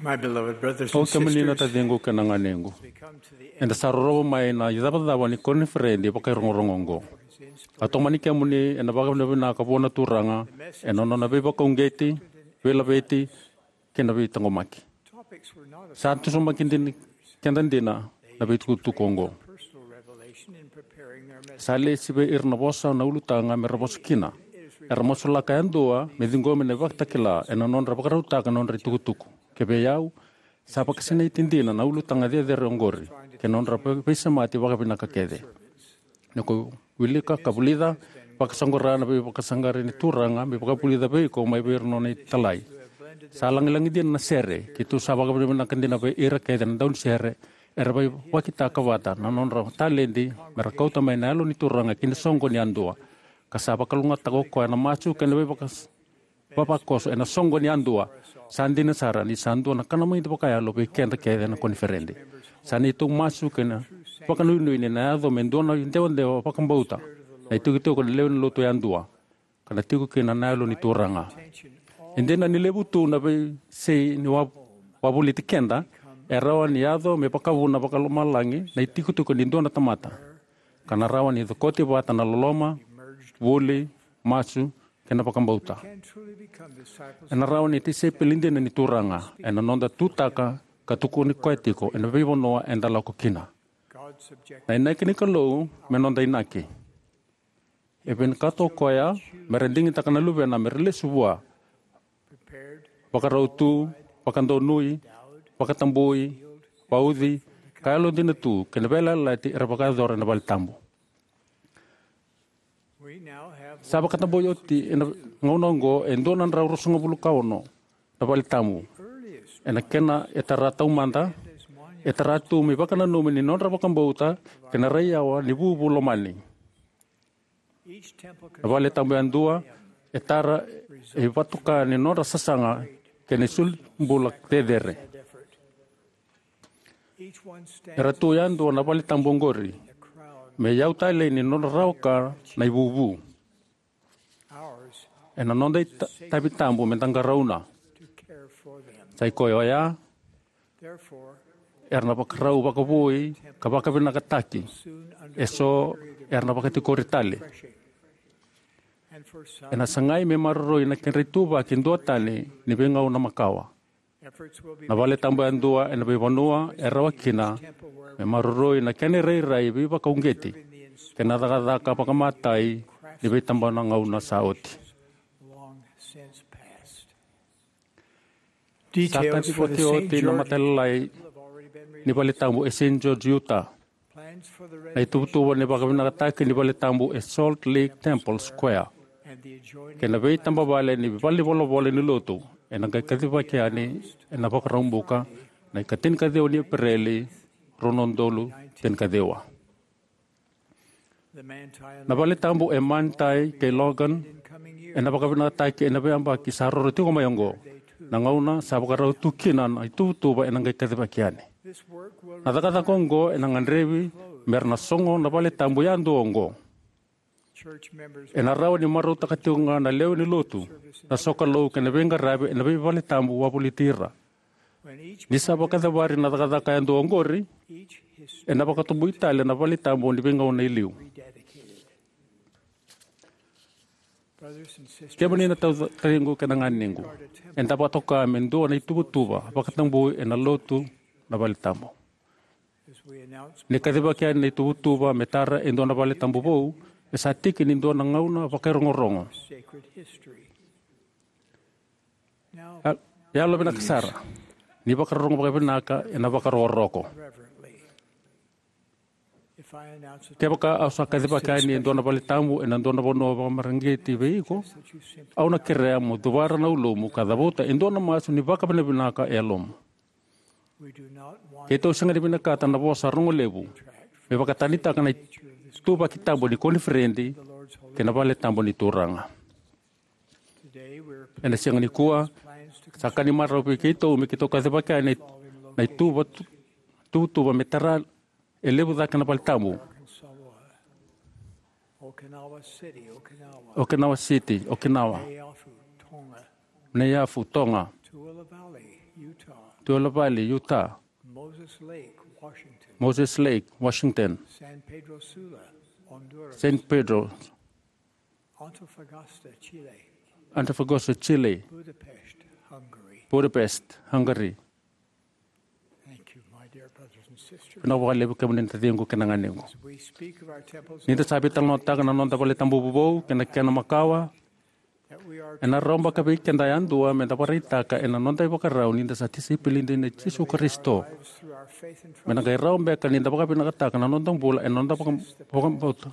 Au kemuni na taciqu kei na ganequ, eda sa rorogo mai na icavacava ni koniferedi vakairogorogo oqo. A tomani kemuni ena vakavinavinaka vua na Turaga ena nona veivakauqeti, veilaveti, kei na veitaqomaki. Sa tusumaki keda dina na veitukutuku oqo. Sa lesi vei ira na vosa na ulutaga me ra vosa kina. Era masulaka yadua me ciqomi na ivakatakila ena nodra vakarautaka na nodra itukutuku. Kevei au, sa vakasinaiti dina na ulutaga cecere oqori kei na nodra veisemati vakavinaka kece. Ni ko wilika ka vulica, vakasaqara na veivakasaqarai ni Turaga me vakavulica vei iko mai vei ira na nona italai. Sa lagilagi dina na sere, keitou sa vakavinavinaka dina vei ira kece na daunisere era vakitaka vata na nodra taledi me ra kauta mai na Yalo ni Turaga ki na soqo ni yadua. Ka sa vakalougatataka o koya na masu kei na veivaka vavakoso ena soqo ni yadua. Sa dina sara ni sa dua na kanamaici vakayalo vei keda kece na koniferedi. Sa neitou masu kei na vakanuinui ni na yaco me dua na idewadewa vakabauta na itikotiko ni lewe ni lotu yadua, ka na tiko kina na Yalo ni Turaga. E dina ni levu tu na veisei ni wa- wavoliti keda, e rawa ni yaco me vakavuna vakalomalagi na itikotiko ni dua na tamata, ka na rawa ni cokoti vata na loloma, vuli, masu, kei na vakabauta. Ena rawa ni tisaipeli dina ni Turaga ena noda tutaka ka tukuni koya tiko ena veivanua eda lako kina. Na inaki ni Kalou me noda inaki. E vinakata o koya me ra digitaka na luvena me ra lesu vua, vakarau tu, vakadonui, vakatabui, vauci, ka yalodina tu kei na veiyalayalati era vakayacora ena vale tabu. Sa vakatabui oti ena gauna oqo e dua na drau ruasagavulu ka ono na vale tabu. Ena kena e tara taumada, e tara tu me ivakananumi ni nodra vakabauta kei na rai yawa ni vuvu lomani. Na vale tabu yadua e tara e ivatuka ni nodra sasaga kei na isolibula cecere. Era tu yadua na vale tabu oqori me iyau talei ni nodra rawa ka na ivuvu. Ena noda ita- itavi tabu me da qarauna. Sa i koya oya, era na vakarau vakavoui ka vakavinakataki. Eso era na vakatikori tale. Ena sagai me maroroi na kedra ituvaki duatani ni veigauna makawa. Na vale tabu yadua ena veivanua e rawa kina me maroroi na kena irairai veivakauqeti kei na cakacaka vakamatai ni veitabana gauna sa oti. Sa kacivi oti na matalalai ni vale tabu e Saint George, Utah. Na ituvatuva ni vakavinakataki ni vale tabu e Salt Lake Temple Square kei na veitabavale ni valenivolavola ni lotu ena qai kacivaki yani ena Vakaraubuka na ikatinikaciwa ni Epereli, rua na udolu tinikaciwa. Na vale tabu e Manti kei Logan ena vakavinakataki ena veiyabaki sa roro tiko mai oqo. Na gauna sa vakarau tu kina na ituvatuva ena qai kacivaki yani. Na cakacaka oqo ena gadrevi me ra na sogo na vale tabu yadua oqo. Ena rawa ni marautaka tiko ga na lewe ni lotu na sokalou kei na veiqaravi ena veivale tabu wavoliti ira. Ni sa vakacavari na cakacaka yadua oqori, ena vakatabui tale na vale tabu ni veigauna e liu. Kemuni na tau- taciqu kei na ganequ, eda vakatoka me dua na ituvatuva vakatabui ena lotu na vale tabu. Ni kacivaki yani na ituvatuva me tara e dua na vale tabu vou, e sa tiki ni dua na gauna vakairogorogo. A- Yalo vinaka sara, ni vakarorogo vakavinaka ena vakarokoroko. Kevaka au sa kacivaka yani e dua na vale tabu ena dua na vanua vakamareqeti vei iko, au na kerea mo cuvara na ulumu ka cavuta e dua na masu ni vakavinavinaka e yalomu. Keitou sega ni vinakata na vosa rogo levu me vakatanitaka na ituvaki tabu ni koniferedi kei na vale tabu ni Turaga. Ena siga nikua, sa ka ni marau vei keitou me keitou kacivaka yani na ituva- tu- tuvatuva me tara e levu cake na vale tabu. Okinawa City, Okinawa. Neiafu, Toga. Tuela Valley, Utah. Moses Lake, Washington. Moses Lake, Washington. San Pedro Sula, Honduras. San Pedro. Antofagasta, Chile. Antofagasta, Chile. Budapest, Hungary. Budapest, Hungary. Thank you, my dear brothers and sisters. Vinaka vakalevu kemuni na taciqu kei na ganequ. As we speak of our temples, Ni da sa veitalanoataka na noda vale tabu vovou kei na kena makawa, that we are ena rawa beka vei keda yadua me da vakaraitaka ena noda ivakarau ni da sa tisaipeli dina i Jisu Karisito. Lives through our faith and trust. Me na qai rawa beka ni da vakavinakataka na noda bula ena noda vaka-, vakabauta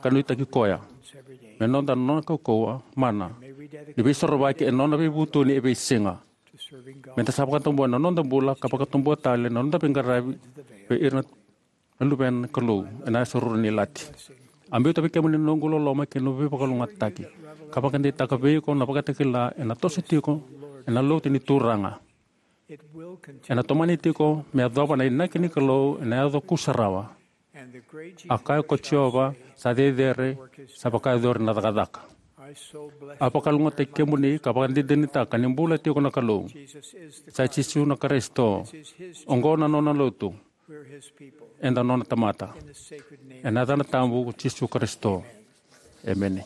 ka nuitaki koya. Every day. Me noda nona kaukauwa mana. May we dedicate ni veisorovaki ena nona veivutuni e veisiga. To serving God. Me da sa vakatabuya na noda bula ka vakatabuya tale na noda veiqaravi vei ira na luvena na Kalou ena yasana ruru ni lati. A biuta vei kemuni na noqu loloma kei na veivakalougatataki, ka vakadeitaka vei iko na vakatakila ena toso tiko ena lotu ni Turaga. It will continue. Ena tomani tiko me yacova na inaki ni Kalou ena yaco kusarawa. And the great A kaya ko Jehovah, sa cecere, sa vakayacori na cakacaka. I so bless A vakalougatataki kemuni ka vakadinadinataka ni bula tiko na Kalou. Jesus is the Sa Christ. Jisu na Karisito. This is his Oqo na nona lotu. We're his people. Eda nona tamata. In the sacred name Ena yacana tabu ko Jisu Karisito. Emeni.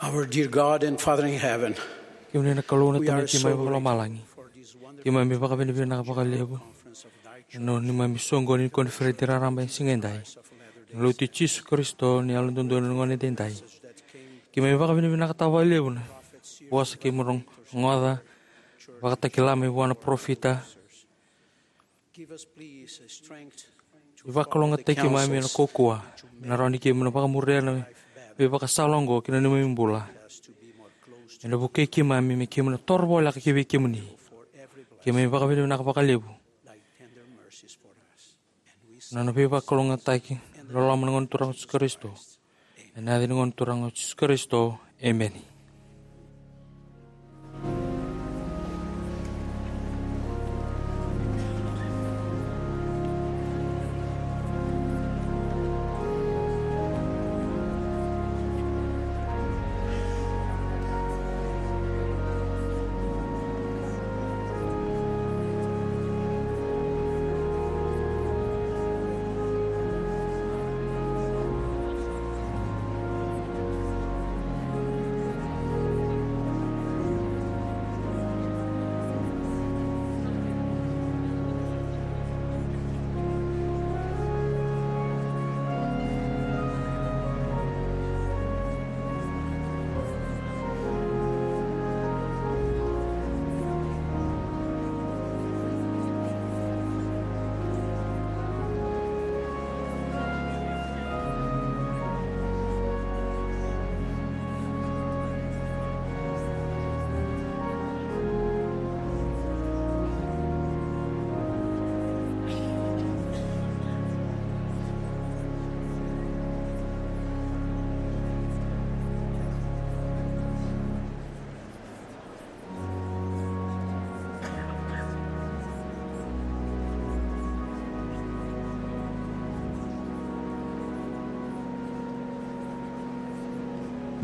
Our dear God and Father in heaven, kemuni na Kalou na Tamai keimami vakalomalagi, keimami vakavinavinaka vakalevu ena neimami soqoni ni koniferedi raraba ena siga edai, na Lotu i Jisu Karisito ni Yalododonu ena gauna edaidai. Keimami vakavinavinakataka vakalevu na vosa keimami rogoca, vakatakila mai vua na parofita. Vakalougata keimami ena kaukauwa me na rawa ni keimami na vakamuria na veivakasala oqo ki na neimami bula. Ena vukei keimami me keimami na toro voleka ki vei kemuni. Keimami vakavinavinaka vakalevu ena nona veivakalougatataki loloma na Gone Turaga o Jisu Karisito. Ena yaca ni Gone Turaga o Jisu Karisito. Emeni.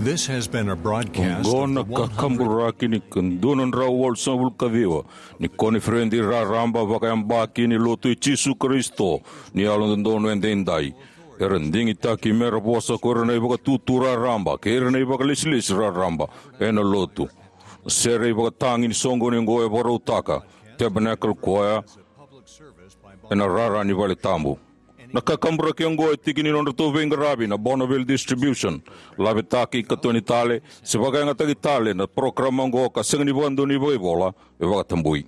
This has been a broadcast Oqo of na the one hundred kakaburaki ni ka dua na drau walusagavulu ka ciwa ni koniferedi raraba vakayabaki ni Lotu i Jisu Karisito ni Yalododonu Edaidai. Era digitaki mera vosa ko ira na ivakatutu raraba kei ira na ivakalesilesi raraba ena Lotu. Na sere ivakatagi ni soqoni oqo e vakarautaka Tabernacle Choir ena rara ni vale tabu. Na kakaburaki oqo e tiki ni nodratou veiqaravi na Bonneville Distribution. Lavetaki, katoni tale se vakayagataki tale na parokaramu oqo ka sega ni vakadonui vakaivola, e vakatabui.